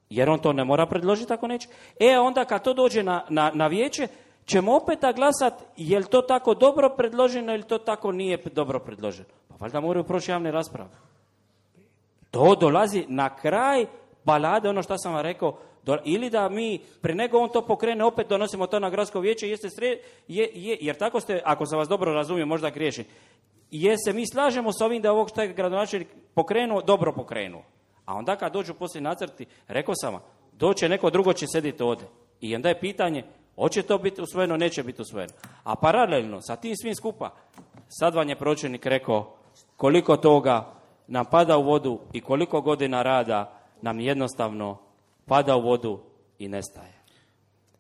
jer on to ne mora predložiti ako neće. E onda kad to dođe na, na, na vijeće, ćemo opet glasati je li to tako dobro predloženo ili to tako nije dobro predloženo. Pa valjda moraju proći javne rasprave. To dolazi na kraj balade, ono što sam vam rekao, do, ili da mi, pre nego on to pokrene, opet donosimo to na gradsko vijeće, jeste sre, je, je, jer tako ste, ako sam vas dobro razumio, možda griješim, jer se mi slažemo s ovim da ovog što je gradonačelnik pokrenuo, dobro pokrenuo. A onda kad dođu poslije nacrti, rekao sam vam, doće neko drugo će sediti ovdje. I onda je pitanje, hoće to biti usvojeno, neće biti usvojeno. A paralelno sa tim svim skupa, sad vam je pročelnik rekao koliko toga nam pada u vodu i koliko godina rada nam jednostavno pada u vodu i nestaje.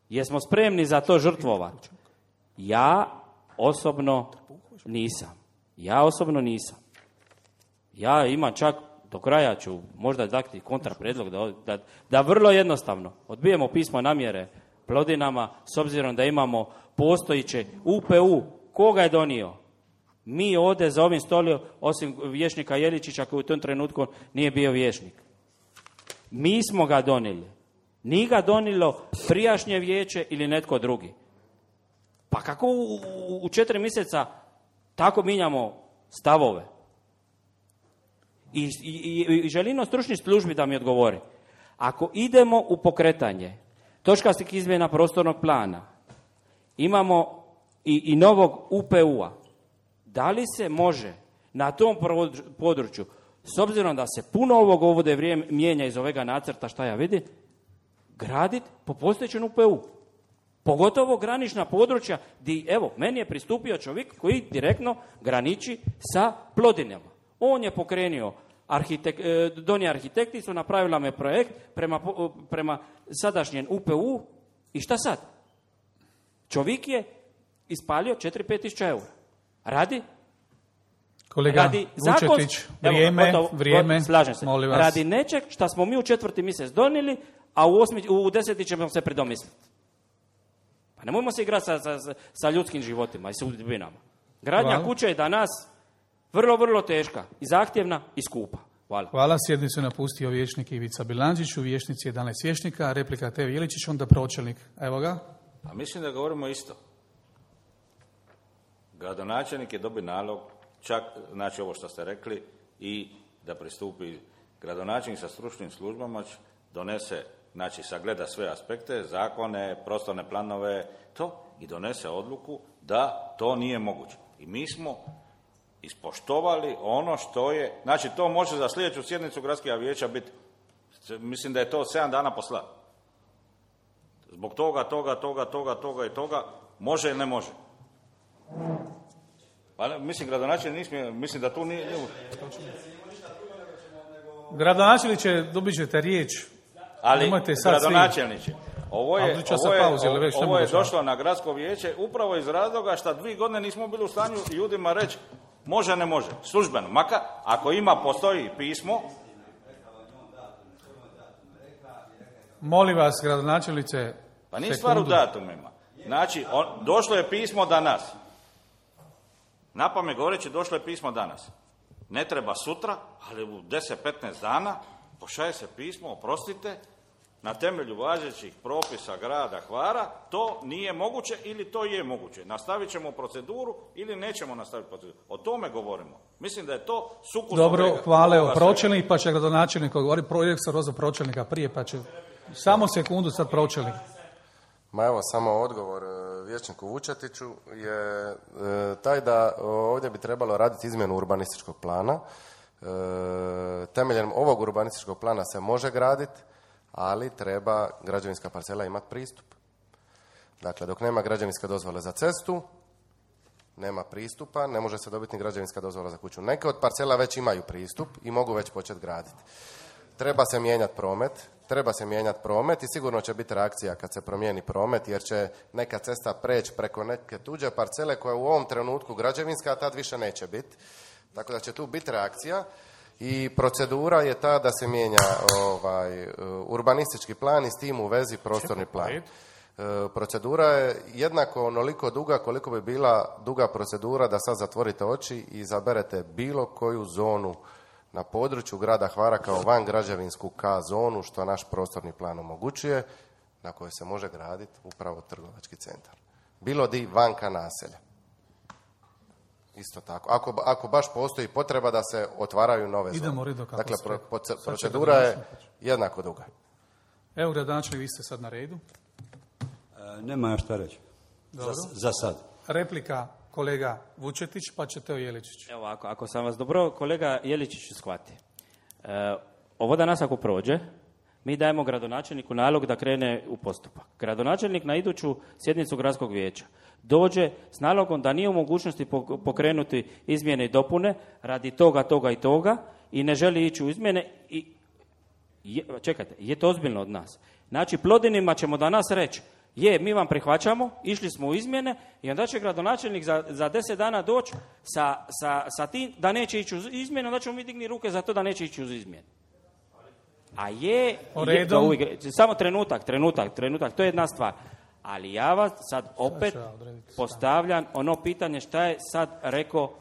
Jesmo spremni za to žrtvovati? Ja osobno nisam. Ja osobno nisam. Ja imam čak, do kraja ću možda dati kontraprijedlog da, da, da vrlo jednostavno odbijemo pismo namjere Plodinama s obzirom da imamo postojiće U P U. Koga je donio? Mi ovdje za ovim stolom, osim vijećnika Jeličića koji u tom trenutku nije bio vijećnik. Mi smo ga donijeli. Nije ga donijelo prijašnje vijeće ili netko drugi. Pa kako u, u, u četiri mjeseca tako mijenjamo stavove? I, i, i želim od stručnih službi da mi odgovori. Ako idemo u pokretanje točkastih izmjena prostornog plana, imamo i, i novog U P U-a, da li se može na tom području, s obzirom da se puno ovog ovdje vrijeme mijenja iz ovega nacrta, šta ja vidim, graditi po postojećem U P U. Pogotovo granična područja gdje, evo, meni je pristupio čovjek koji direktno graniči sa Plodinama. On je pokrenio, arhitek, donije arhitekti su napravila me projekt prema, prema sadašnjem U P U i šta sad? Čovjek je ispalio četiri do pet tisuća eura. Radi? Kolega radi Vučetić, vrijeme, evo, gotovo, vrijeme, slažem se. molim vas. Radi nečeg što smo mi u četvrti mjesec donijeli, a u, osmi, u deseti ćemo se predomisliti. Pa nemojmo se igrati sa, sa, sa ljudskim životima i sudbinama. Gradnja Hvala. Kuće je danas vrlo, vrlo teška i zahtjevna i skupa. Hvala. Hvala. Sjednicu je napustio vijećnik Ivica Bilandžić, u vijećnici jedanaest vijećnika, replika Teo Jeličić, onda pročelnik. Evo ga. A mislim da govorimo isto. Gradonačelnik je dobio nalog, čak, znači ovo što ste rekli, i da pristupi gradonačelnik sa stručnim službama, donese, znači sagleda sve aspekte, zakone, prostorne planove, to, i donese odluku da to nije moguće. I mi smo ispoštovali ono što je, znači to može za sljedeću sjednicu gradskog vijeća biti, mislim da je to sedam dana posla. Zbog toga, toga, toga, toga, toga i toga, može ili ne može. Pa, mislim, gradonačelnik nismije, mislim da tu nije... Gradonačelniče, dobit ćete riječ. Ali, gradonačelniče, ovo je, ovo je, pauzi, ovo, već ovo je došlo na gradsko vijeće upravo iz razloga što dvije godine nismo bili u stanju ljudima reći može, ne može, službeno. Maka, ako ima, postoji pismo. Molim vas, gradonačelnice. Pa nije stvar u datumima. Znači, on, došlo je pismo da nas. Na pamet govoreći, došlo je pismo danas. Ne treba sutra, ali u deset do petnaest dana pošalje se pismo, oprostite, na temelju važećih propisa grada Hvara to nije moguće ili to je moguće. Nastavit ćemo proceduru ili nećemo nastaviti proceduru. O tome govorimo. Mislim da je to sukus. Dobro, hvala, evo pročelnik, pa će gradonačelnik odgovoriti. Projekt se rozao pročelnika prije, pa će... Samo sekundu, sad pročelnik. Ma evo, samo odgovor vijećniku Vučetiću je taj da ovdje bi trebalo raditi izmjenu urbanističkog plana. Temeljem ovog urbanističkog plana se može graditi, ali treba građevinska parcela imati pristup. Dakle, dok nema građevinske dozvole za cestu, nema pristupa, ne može se dobiti ni građevinska dozvola za kuću. Neke od parcela već imaju pristup i mogu već početi graditi. Treba se mijenjati promet, treba se mijenjati promet i sigurno će biti reakcija kad se promijeni promet, jer će neka cesta preći preko neke tuđe parcele koja je u ovom trenutku građevinska, a tad više neće biti. Tako da će tu biti reakcija. I procedura je ta da se mijenja ovaj, urbanistički plan i s tim u vezi prostorni plan. E, procedura je jednako onoliko duga koliko bi bila duga procedura da sad zatvorite oči i izaberete bilo koju zonu na području grada Hvara kao van građevinsku K zonu, što naš prostorni plan omogućuje, na kojoj se može graditi upravo trgovački centar. Bilo di vanka naselja. Isto tako. Ako, ako baš postoji potreba da se otvaraju nove Idemo zone. kako dakle, pro, pro, procedura je jednako duga. Evo, gradonačelnik, vi ste sad na redu. E, nema šta reći. Za, za sad. Replika kolega Vučetić, pa će Teo Jeličić. Evo, ako, ako sam vas dobro, kolega Jeličić shvati. E, ovo danas ako prođe, mi dajemo gradonačelniku nalog da krene u postupak. Gradonačelnik na iduću sjednicu gradskog vijeća dođe s nalogom da nije u mogućnosti pokrenuti izmjene i dopune radi toga, toga i toga i ne želi ići u izmjene i je, čekajte, je to ozbiljno od nas. Znači, Plodinima ćemo danas reći, je, mi vam prihvaćamo, išli smo u izmjene i onda će gradonačelnik za, za deset dana doći sa, sa, sa tim da neće ići uz izmjene, onda ćemo mi digni ruke za to da neće ići uz izmjene. A je, je to uvijek, samo trenutak, trenutak, trenutak, to je jedna stvar. Ali ja vas sad opet postavljam ono pitanje šta je sad rekao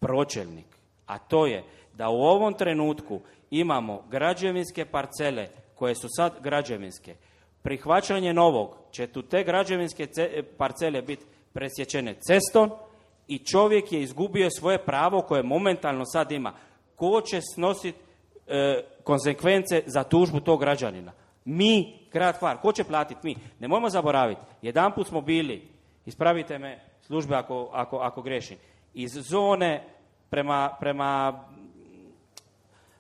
pročelnik. A to je da u ovom trenutku imamo građevinske parcele koje su sad građevinske. Prihvaćanje novog će tu te građevinske ce- parcele biti presječene cestom i čovjek je izgubio svoje pravo koje momentalno sad ima. Ko će snositi e, konsekvence za tužbu tog građanina? Mi, grad Hvar, ko će platiti? Mi. Nemojmo zaboraviti, jedanput smo bili, ispravite me službe ako, ako, ako grešim, iz zone prema, prema,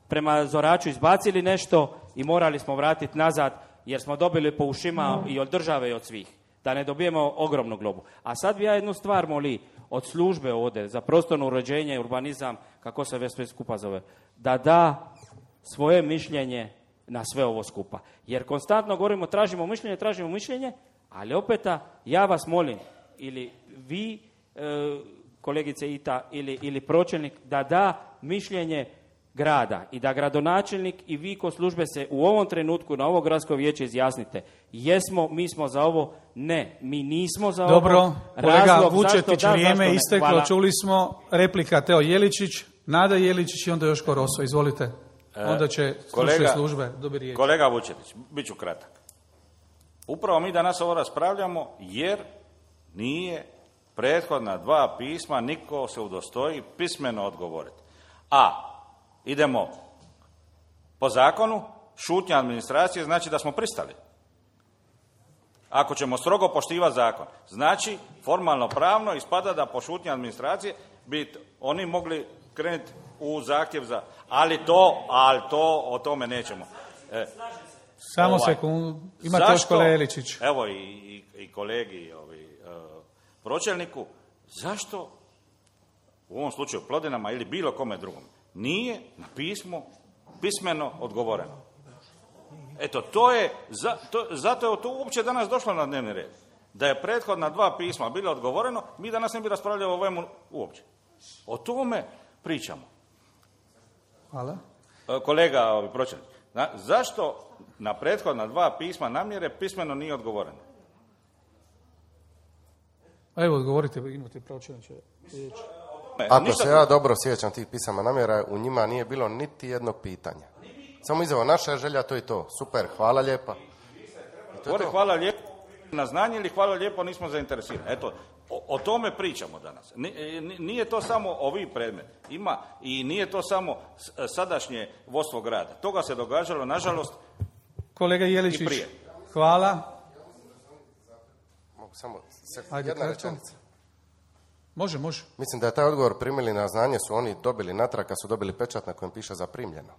prema Zoraču izbacili nešto i morali smo vratiti nazad jer smo dobili po ušima i od države i od svih, da ne dobijemo ogromnu globu. A sad bi ja jednu stvar moli od službe ovdje za prostorno uređenje i urbanizam, kako se već sve skupa zove, da da svoje mišljenje na sve ovo skupa. Jer konstantno govorimo, tražimo mišljenje, tražimo mišljenje, ali opet ja vas molim, ili vi, e, kolegice Ita, ili, ili pročelnik, da da mišljenje grada i da gradonačelnik i vi ko službe se u ovom trenutku na ovo gradsko vijeće izjasnite. Jesmo, mi smo za ovo, ne, mi nismo za Dobro, ovo. Dobro, kolega Vučetić, da, vrijeme isteklo, Hvala. Čuli smo, replika Teo Jeličić, Nada Jeličić i onda još Koroso, izvolite. Onda će stručne službe dobiti riječ. Kolega Vučetić, bit ću kratak. Upravo mi danas ovo raspravljamo jer nije prethodna dva pisma niko se udostoji pismeno odgovoriti. A, idemo po zakonu, šutnja administracije znači da smo pristali. Ako ćemo strogo poštivati zakon, znači formalno pravno ispada da po šutnji administracije bi oni mogli krenuti u zahtjev za... Ali to, ali to, o tome nećemo. E, Samo ovaj, sekundu, imate još kolega Jeličić. Evo i, i, i kolegi ovi, uh, pročelniku, zašto u ovom slučaju Plodinama ili bilo kome drugom nije na pismo pismeno odgovoreno? Eto, to je, za, to, zato je to uopće danas došlo na dnevni red. Da je prethodna dva pisma bilo odgovoreno, mi danas ne bi raspravljali o ovome uopće. O tome pričamo. Hvala. Kolega ovi, pročelnik, na, zašto na prethodna dva pisma namjere pismeno nije odgovoreno? Evo, odgovorite, imate pročelniče riječ. Ako Ništa se ja dobro sjećam tih pisama namjera, u njima nije bilo niti jednog pitanja. Samo izjava, naša je želja, to i to. Super, hvala lijepa. I to je Gore, to. hvala lijepo na znanje ili hvala lijepo nismo zainteresirani. Eto, o, o tome pričamo danas. Ni- ni- Nije to samo ovi predmet. Ima i nije to samo s- sadašnje vodstvo grada. Toga se događalo, nažalost, Kolega i Jeličić, prije. hvala. Mogu samo se, Ajde, jedna kratko. rečenica. Može, može. Mislim da je taj odgovor primili na znanje, su oni dobili natrag kad su dobili pečat na kojem piše zaprimljeno.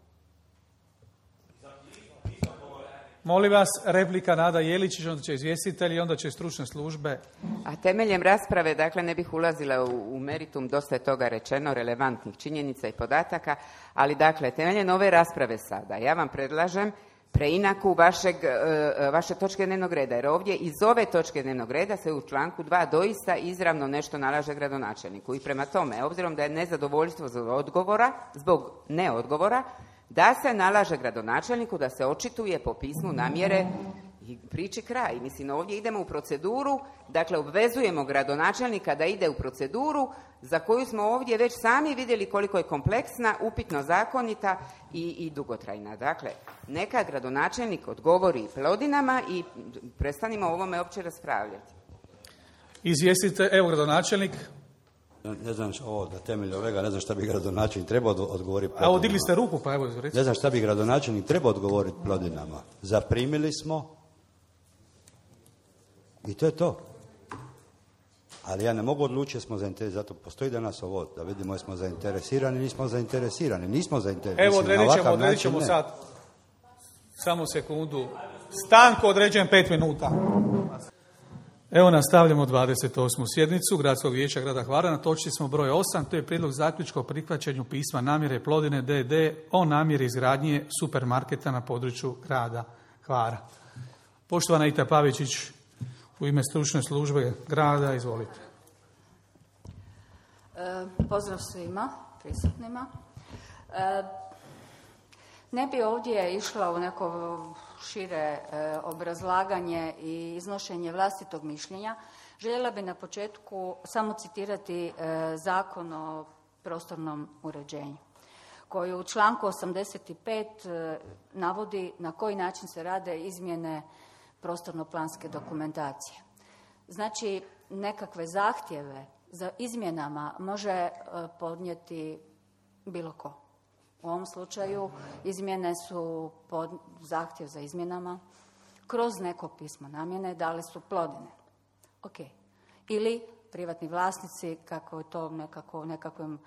Molim vas, replika Nada Jeličić, onda će izvjestitelji i onda će stručne službe. A temeljem rasprave, dakle, ne bih ulazila u, u meritum, dosta je toga rečeno, relevantnih činjenica i podataka, ali dakle, temeljem ove rasprave sada, ja vam predlažem preinaku vašeg, e, vaše točke dnevnog reda, jer ovdje iz ove točke dnevnog reda se u članku dva doista izravno nešto nalaže gradonačelniku. I prema tome, obzirom da je nezadovoljstvo zbog odgovora, zbog neodgovora, da se nalaže gradonačelniku da se očituje po pismu namjere i priči kraj. Mislim, ovdje idemo u proceduru, dakle obvezujemo gradonačelnika da ide u proceduru za koju smo ovdje već sami vidjeli koliko je kompleksna, upitno zakonita i, i dugotrajna. Dakle, neka gradonačelnik odgovori Plodinama i prestanimo o ovome uopće raspravljati. Izvjestite, evo gradonačelnik. Ne znam što- ovo, da temelj ovega, ne znam šta bi gradonačelnik trebao odgo- odgovoriti. A evo, digli ste ruku, pa evo, recite. Ne znam šta bi gradonačelnik trebao odgovoriti Plodinama. Zaprimili smo i to je to. Ali ja ne mogu odlučiti jer smo zainteresirani, zato postoji danas ovo, da vidimo jesmo zainteresirani, nismo zainteresirani, nismo zainteresirani. Evo, Mislim, na odredit ćemo, ovakav odredit način ćemo ne. sad. Samo sekundu. Stanku određujem pet minuta. Evo nastavljamo dvadeset osmu sjednicu Gradskog vijeća grada Hvara. Na točci smo broj osam, to je prijedlog zaključka o prihvaćanju pisma namjere Plodine D D o namjeri izgradnje supermarketa na području grada Hvara. Poštovana Ita Pavičić, u ime stručne službe grada, izvolite. E, Pozdrav svima prisutnima. E, Ne bi ovdje išla u neko šire e, obrazlaganje i iznošenje vlastitog mišljenja. Željela bi na početku samo citirati e, Zakon o prostornom uređenju, koji u članku osamdeset pet e, navodi na koji način se rade izmjene prostorno-planske dokumentacije. Znači, nekakve zahtjeve za izmjenama može e, podnijeti bilo ko. U ovom slučaju izmjene su pod zahtjev za izmjenama kroz neko pismo namjene dali su Plodine. Ok. Ili privatni vlasnici, kako je to nekako u nekakvom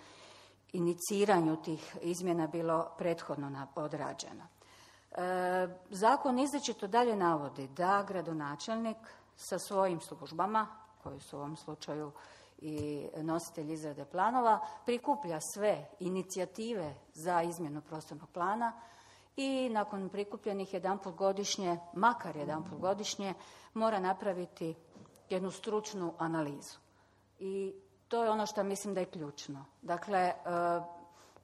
iniciranju tih izmjena bilo prethodno na- odrađeno. E, zakon izričito dalje navodi da gradonačelnik sa svojim službama, koji su u ovom slučaju i nositelj izrade planova, prikuplja sve inicijative za izmjenu prostornog plana i nakon prikupljenih jedanput godišnje, makar jedanput godišnje, mora napraviti jednu stručnu analizu. I to je ono što mislim da je ključno. Dakle, e,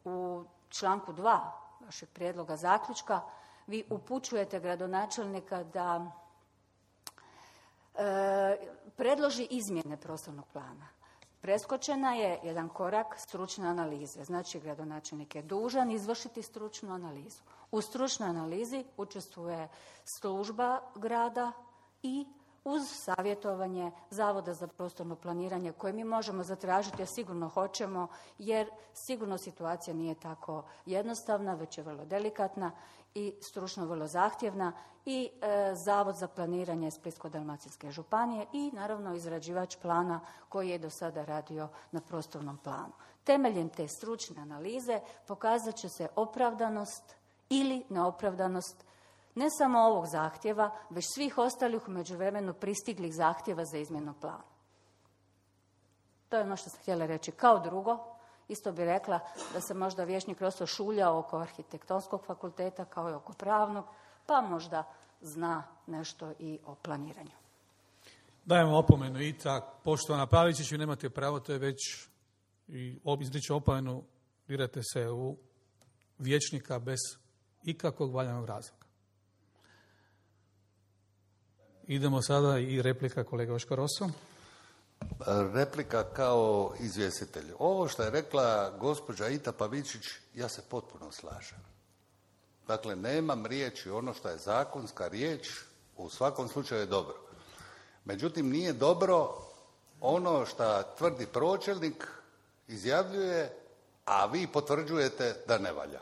u članku dva vašeg prijedloga zaključka vi upućujete gradonačelnika da e, predloži izmjene prostornog plana. Preskočena je jedan korak stručne analize. Znači, gradonačelnik je dužan izvršiti stručnu analizu. U stručnoj analizi učestvuje služba grada i uz savjetovanje Zavoda za prostorno planiranje koje mi možemo zatražiti, a sigurno hoćemo, jer sigurno situacija nije tako jednostavna, već je vrlo delikatna i stručno vrlo zahtjevna, i e, Zavod za planiranje Splitsko-dalmatinske županije i naravno izrađivač plana koji je do sada radio na prostornom planu. Temeljem te stručne analize pokazat će se opravdanost ili neopravdanost ne samo ovog zahtjeva, već svih ostalih u međuvremenu pristiglih zahtjeva za izmjenu plana. To je ono što sam htjela reći. Kao drugo, isto bi rekla da se možda vijećnik Roso šuljao oko arhitektonskog fakulteta kao i oko pravnog, pa možda zna nešto i o planiranju. Dajemo opomenu i tak. Poštovana Pavičić, vi nemate pravo, to je već i izriču opomenu, dirate se u vijećnika bez ikakvog valjanog razloga. Idemo sada i replika kolega Joško Roso. Replika kao izvjestitelj. Ovo što je rekla gospođa Ita Pavičić, ja se potpuno slažem. Dakle, nemam riječi, ono što je zakonska riječ, u svakom slučaju je dobro. Međutim, nije dobro ono što tvrdi pročelnik, izjavljuje, a vi potvrđujete da ne valja.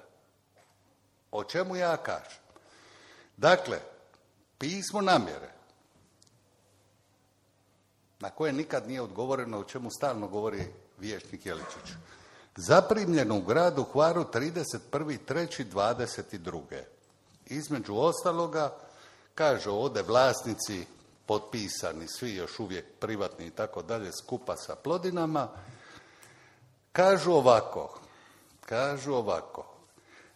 O čemu ja kažem? Dakle, pismo namjere, na koje nikad nije odgovoreno, o čemu stalno govori vijećnik Jeličić. Zaprimljeno u gradu Hvaru trideset prvi treći dvadeset druge. Između ostaloga, kaže ovdje vlasnici, potpisani, svi još uvijek privatni i tako dalje, skupa sa Plodinama, kažu ovako, kažu ovako,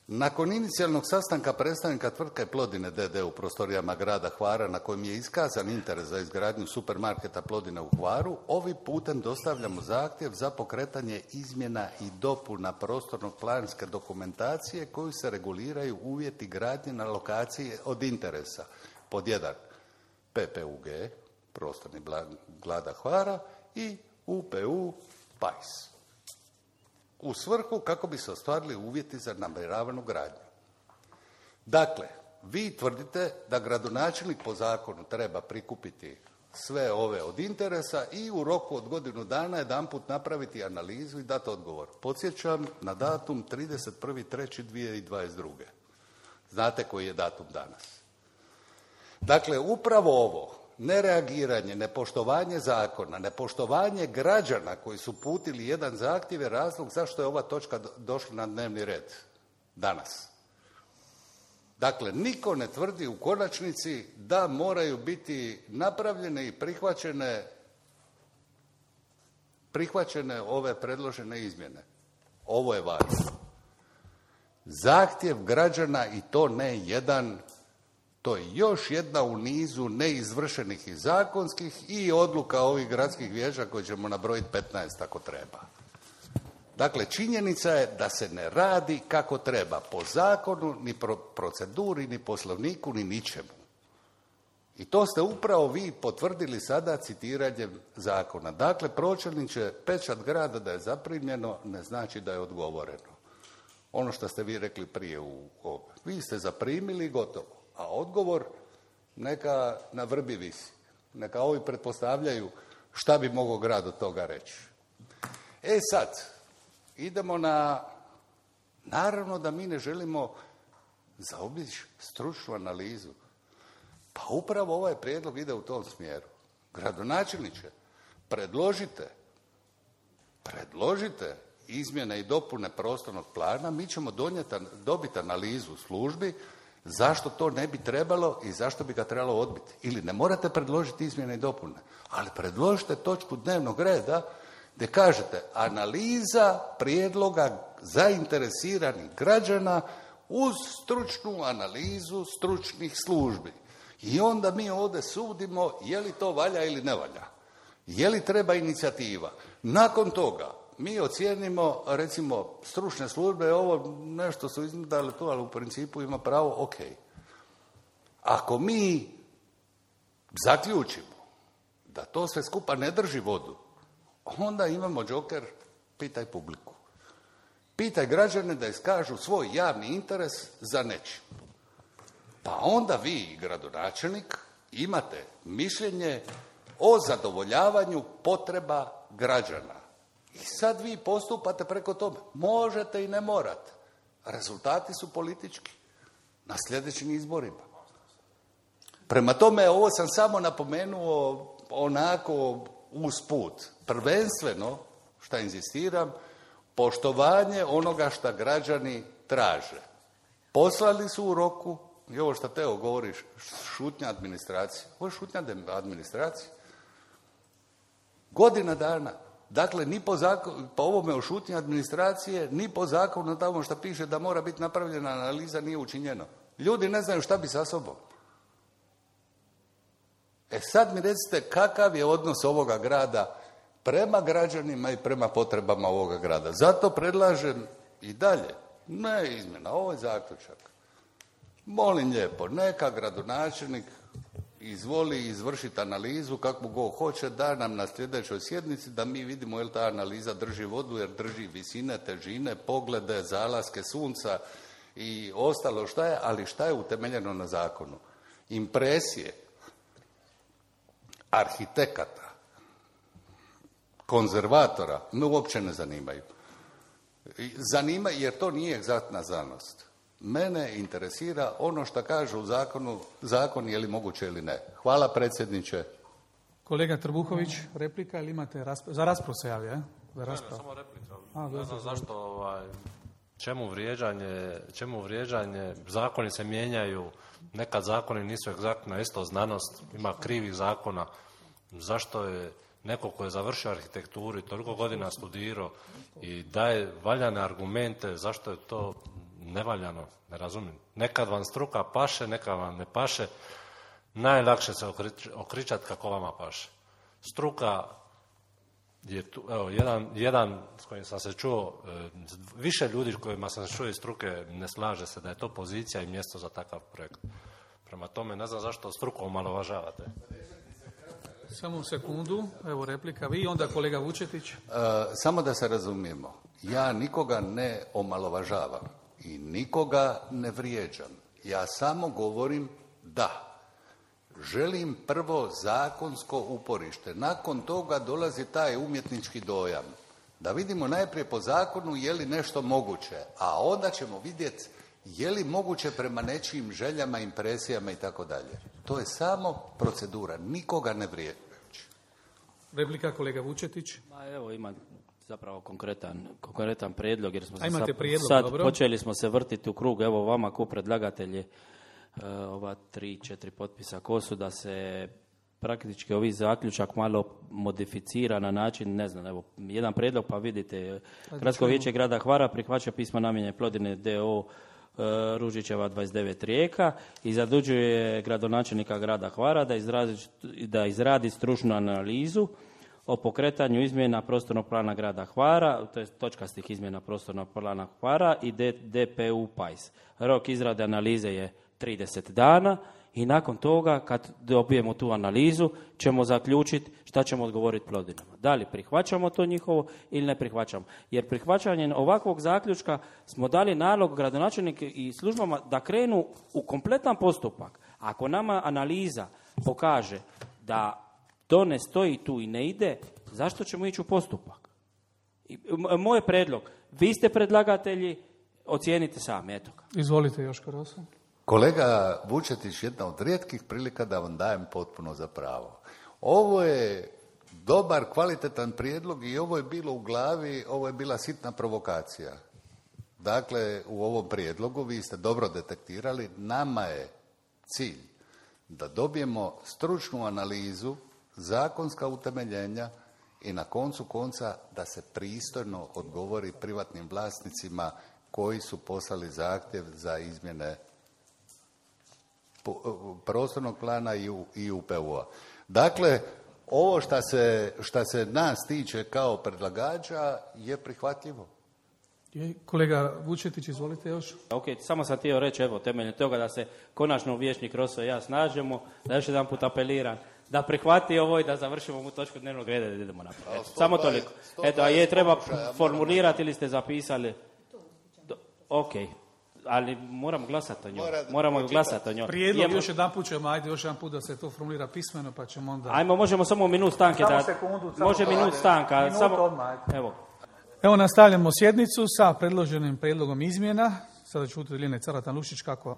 nakon inicijalnog sastanka predstavnika tvrtke Plodine D D u prostorijama grada Hvara, na kojem je iskazan interes za izgradnju supermarketa Plodine u Hvaru, ovim putem dostavljamo zahtjev za pokretanje izmjena i dopuna prostornog planske dokumentacije koju se reguliraju uvjeti gradnje na lokaciji od interesa. Pod jedan, P P U G, prostorni grada Hvara, i U P U Pajs. U svrhu kako bi se ostvarili uvjeti za namjeravanu gradnju. Dakle, vi tvrdite da gradonačelnik po zakonu treba prikupiti sve ove od interesa i u roku od godinu dana jedanput napraviti analizu i dati odgovor. Podsjećam na datum trideset prvi treći dvije tisuće dvadeset druge. Znate koji je datum danas. Dakle, upravo ovo, nereagiranje, nepoštovanje zakona, nepoštovanje građana koji su putili jedan zahtjev je razlog zašto je ova točka došla na dnevni red danas. Dakle, niko ne tvrdi u konačnici da moraju biti napravljene i prihvaćene, prihvaćene ove predložene izmjene. Ovo je važno. Zahtjev građana, i to ne jedan, to je još jedna u nizu neizvršenih i zakonskih i odluka ovih gradskih vijeća koje ćemo nabrojiti petnaest ako treba. Dakle, činjenica je da se ne radi kako treba, po zakonu, ni pro proceduri, ni poslovniku, ni ničemu. I to ste upravo vi potvrdili sada citiranjem zakona. Dakle, pročelniče, pečat grada da je zaprimljeno ne znači da je odgovoreno. Ono što ste vi rekli prije u ovom. Vi ste zaprimili i gotovo. A odgovor neka na vrbi visi. Neka ovi pretpostavljaju šta bi mogao grad od toga reći. E sad, idemo na... Naravno da mi ne želimo zaobići stručnu analizu. Pa upravo ovaj prijedlog ide u tom smjeru. Gradonačelniče, predložite, predložite izmjene i dopune prostornog plana, mi ćemo donijeti, dobiti analizu službi zašto to ne bi trebalo i zašto bi ga trebalo odbiti. Ili ne morate predložiti izmjene i dopune, ali predložite točku dnevnog reda gdje kažete analiza prijedloga zainteresiranih građana uz stručnu analizu stručnih službi. I onda mi ovdje sudimo je li to valja ili ne valja. Je li treba inicijativa. Nakon toga mi ocijenimo, recimo, stručne službe, ovo nešto su izdali tu, ali u principu ima pravo, ok. Ako mi zaključimo da to sve skupa ne drži vodu, onda imamo džoker, pitaj publiku. Pitaj građane da iskažu svoj javni interes za nečim. Pa onda vi, gradonačelnik, imate mišljenje o zadovoljavanju potreba građana. I sad vi postupate preko toga. Možete i ne morate. Rezultati su politički na sljedećim izborima. Prema tome, ovo sam samo napomenuo onako usput. Prvenstveno, šta inzistiram, poštovanje onoga šta građani traže. Poslali su u roku, i ovo što Teo govoriš, šutnja administracije. Ovo je šutnja administracije. Godina dana. Dakle, ni po, zakon, po ovome o šutnji administracije, ni po zakonu tamo što piše da mora biti napravljena analiza nije učinjeno. Ljudi ne znaju šta bi sa sobom. E sad mi recite kakav je odnos ovoga grada prema građanima i prema potrebama ovoga grada. Zato predlažem i dalje, ne izmjena, ovo je zaključak. Molim lijepo, neka gradonačelnik izvoli izvršiti analizu kako god hoće, da nam na sljedećoj sjednici da mi vidimo je li ta analiza drži vodu, jer drži visine, težine, poglede, zalaske sunca i ostalo šta je, ali šta je utemeljeno na zakonu. Impresije arhitekata, konzervatora me uopće ne zanimaju. Zanima jer to nije egzaktna znanost. Mene interesira ono što kaže u zakonu, zakon je li moguće ili ne. Hvala predsjedniče. Kolega Trbuhović, replika ili imate raspravu? Za raspravu se javlja, je? Za raspravu. Ne, ne, samo replika. A, ne znam zašto, ovaj, čemu vrijeđanje, čemu vrijeđanje, zakoni se mijenjaju, nekad zakoni nisu egzaktna, isto znanost, ima krivih zakona. Zašto je neko ko je završio arhitekturu i toliko godina studirao i daje valjane argumente, zašto je to nevaljano, ne razumijem. Nekad vam struka paše, nekad vam ne paše. Najlakše se okričati kako vama paše. Struka je tu, evo, jedan, jedan s kojim sam se čuo, više ljudi s kojima sam se čuo iz struke ne slaže se da je to pozicija i mjesto za takav projekt. Prema tome, ne znam zašto struku omalovažavate. Samo sekundu, evo replika. Vi onda kolega Vučetić. E, samo da se razumijemo. Ja nikoga ne omalovažavam i nikoga ne vrijeđam. Ja samo govorim da. Želim prvo zakonsko uporište. Nakon toga dolazi taj umjetnički dojam. Da vidimo najprije po zakonu je li nešto moguće, a onda ćemo vidjeti je li moguće prema nečijim željama, impresijama i tako dalje. To je samo procedura, nikoga ne vrijeđajući. Replika kolega Vučetić. Ma evo ima zapravo konkretan, konkretan prijedlog, jer smo se sad, prijedlog, sad dobro. počeli smo se vrtiti u krug. Evo vama ko predlagatelji ova tri, četiri potpisa ko su, da se praktički ovi zaključak malo modificira na način, ne znam, evo, jedan prijedlog pa vidite. Gradsko vijeće grada Hvara prihvaća pismo namjene Plodine d o o Ružićeva dvadeset devet Rijeka i zadužuje gradonačelnika grada Hvara da izradi, da izradi stručnu analizu o pokretanju izmjena prostornog plana grada Hvara, to je točkastih izmjena prostornog plana Hvara i D P U P A I S. Rok izrade analize je trideset dana i nakon toga, kad dobijemo tu analizu, ćemo zaključiti šta ćemo odgovoriti Plodinama. Da li prihvaćamo to njihovo ili ne prihvaćamo. Jer prihvaćanjem ovakvog zaključka smo dali nalog gradonačelniku i službama da krenu u kompletan postupak. Ako nama analiza pokaže da to ne stoji tu i ne ide, zašto ćemo ići u postupak? I, moj predlog, vi ste predlagatelji, ocijenite sami, eto ga. Izvolite Joško Rosa. Kolega Vučetić, jedna od rijetkih prilika da vam dajem potpuno za pravo. Ovo je dobar, kvalitetan prijedlog i ovo je bilo u glavi, ovo je bila sitna provokacija. Dakle, u ovom prijedlogu, vi ste dobro detektirali, nama je cilj da dobijemo stručnu analizu, zakonska utemeljenja i na koncu konca da se pristojno odgovori privatnim vlasnicima koji su poslali zahtjev za izmjene prostornog plana i U P U-a. Dakle, ovo šta se, šta se nas tiče kao predlagača je prihvatljivo. Je, kolega Vučetić, izvolite još. Ok, samo sam htio reći, evo, temeljem toga da se konačno vijećnik Roso i ja snažemo, da još jedan put apeliram, da prihvati ovo i da završimo ovu točku dnevnog reda i da idemo naprijed. Samo toliko. Eto, a je treba formulirati ili ste zapisali? Do, ok. Ali moramo glasati o njoj. Moramo glasati o njoj. Prijedlog Jemo... još jedan put ćemo, ajde još jedan put da se to formulira pismeno, pa ćemo onda... Ajmo, možemo samo minut stanke. Samo da... sekundu. Samo Može minut stanka. Minut samo... odmah. Evo. Evo nastavljamo sjednicu sa predloženim prijedlogom izmjena. Sada ću čuti Lijene Caratan-Lušić kako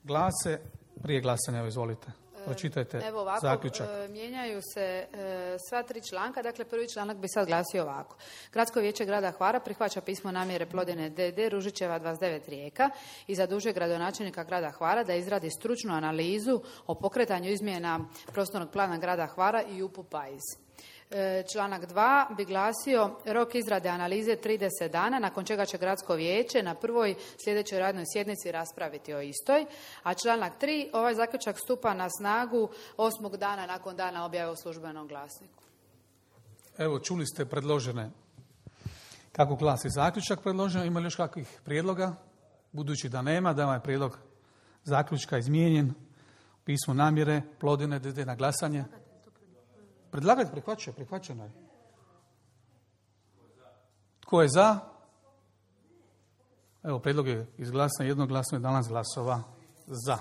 glase. Prije glasanja, evo izvolite. Pročitajte Evo ovako, zaključak. E, mijenjaju se e, sva tri članka. Dakle, prvi članak bi sad glasio ovako. Gradsko vijeće grada Hvara prihvaća pismo namjere Plodine D D Ružićeva dvadeset devet Rijeka i zadužuje gradonačelnika grada Hvara da izradi stručnu analizu o pokretanju izmjena prostornog plana grada Hvara i U P U P A I S. Članak dva bi glasio rok izrade analize trideset dana, nakon čega će gradsko vijeće na prvoj sljedećoj radnoj sjednici raspraviti o istoj. A članak tri, ovaj zaključak stupa na snagu osmog dana nakon dana objave u službenom glasniku. Evo, čuli ste predložene kako glasi zaključak predloženo. Ima li još kakvih prijedloga? Budući da nema, da je ovaj prijedlog zaključka izmijenjen pismo namjere Plodine D D na glasanje. Predlagatelj prihvaća, prihvaćeno je. Tko je za? Evo, prijedlog je izglasan jednoglasno, jedanaest glasova za.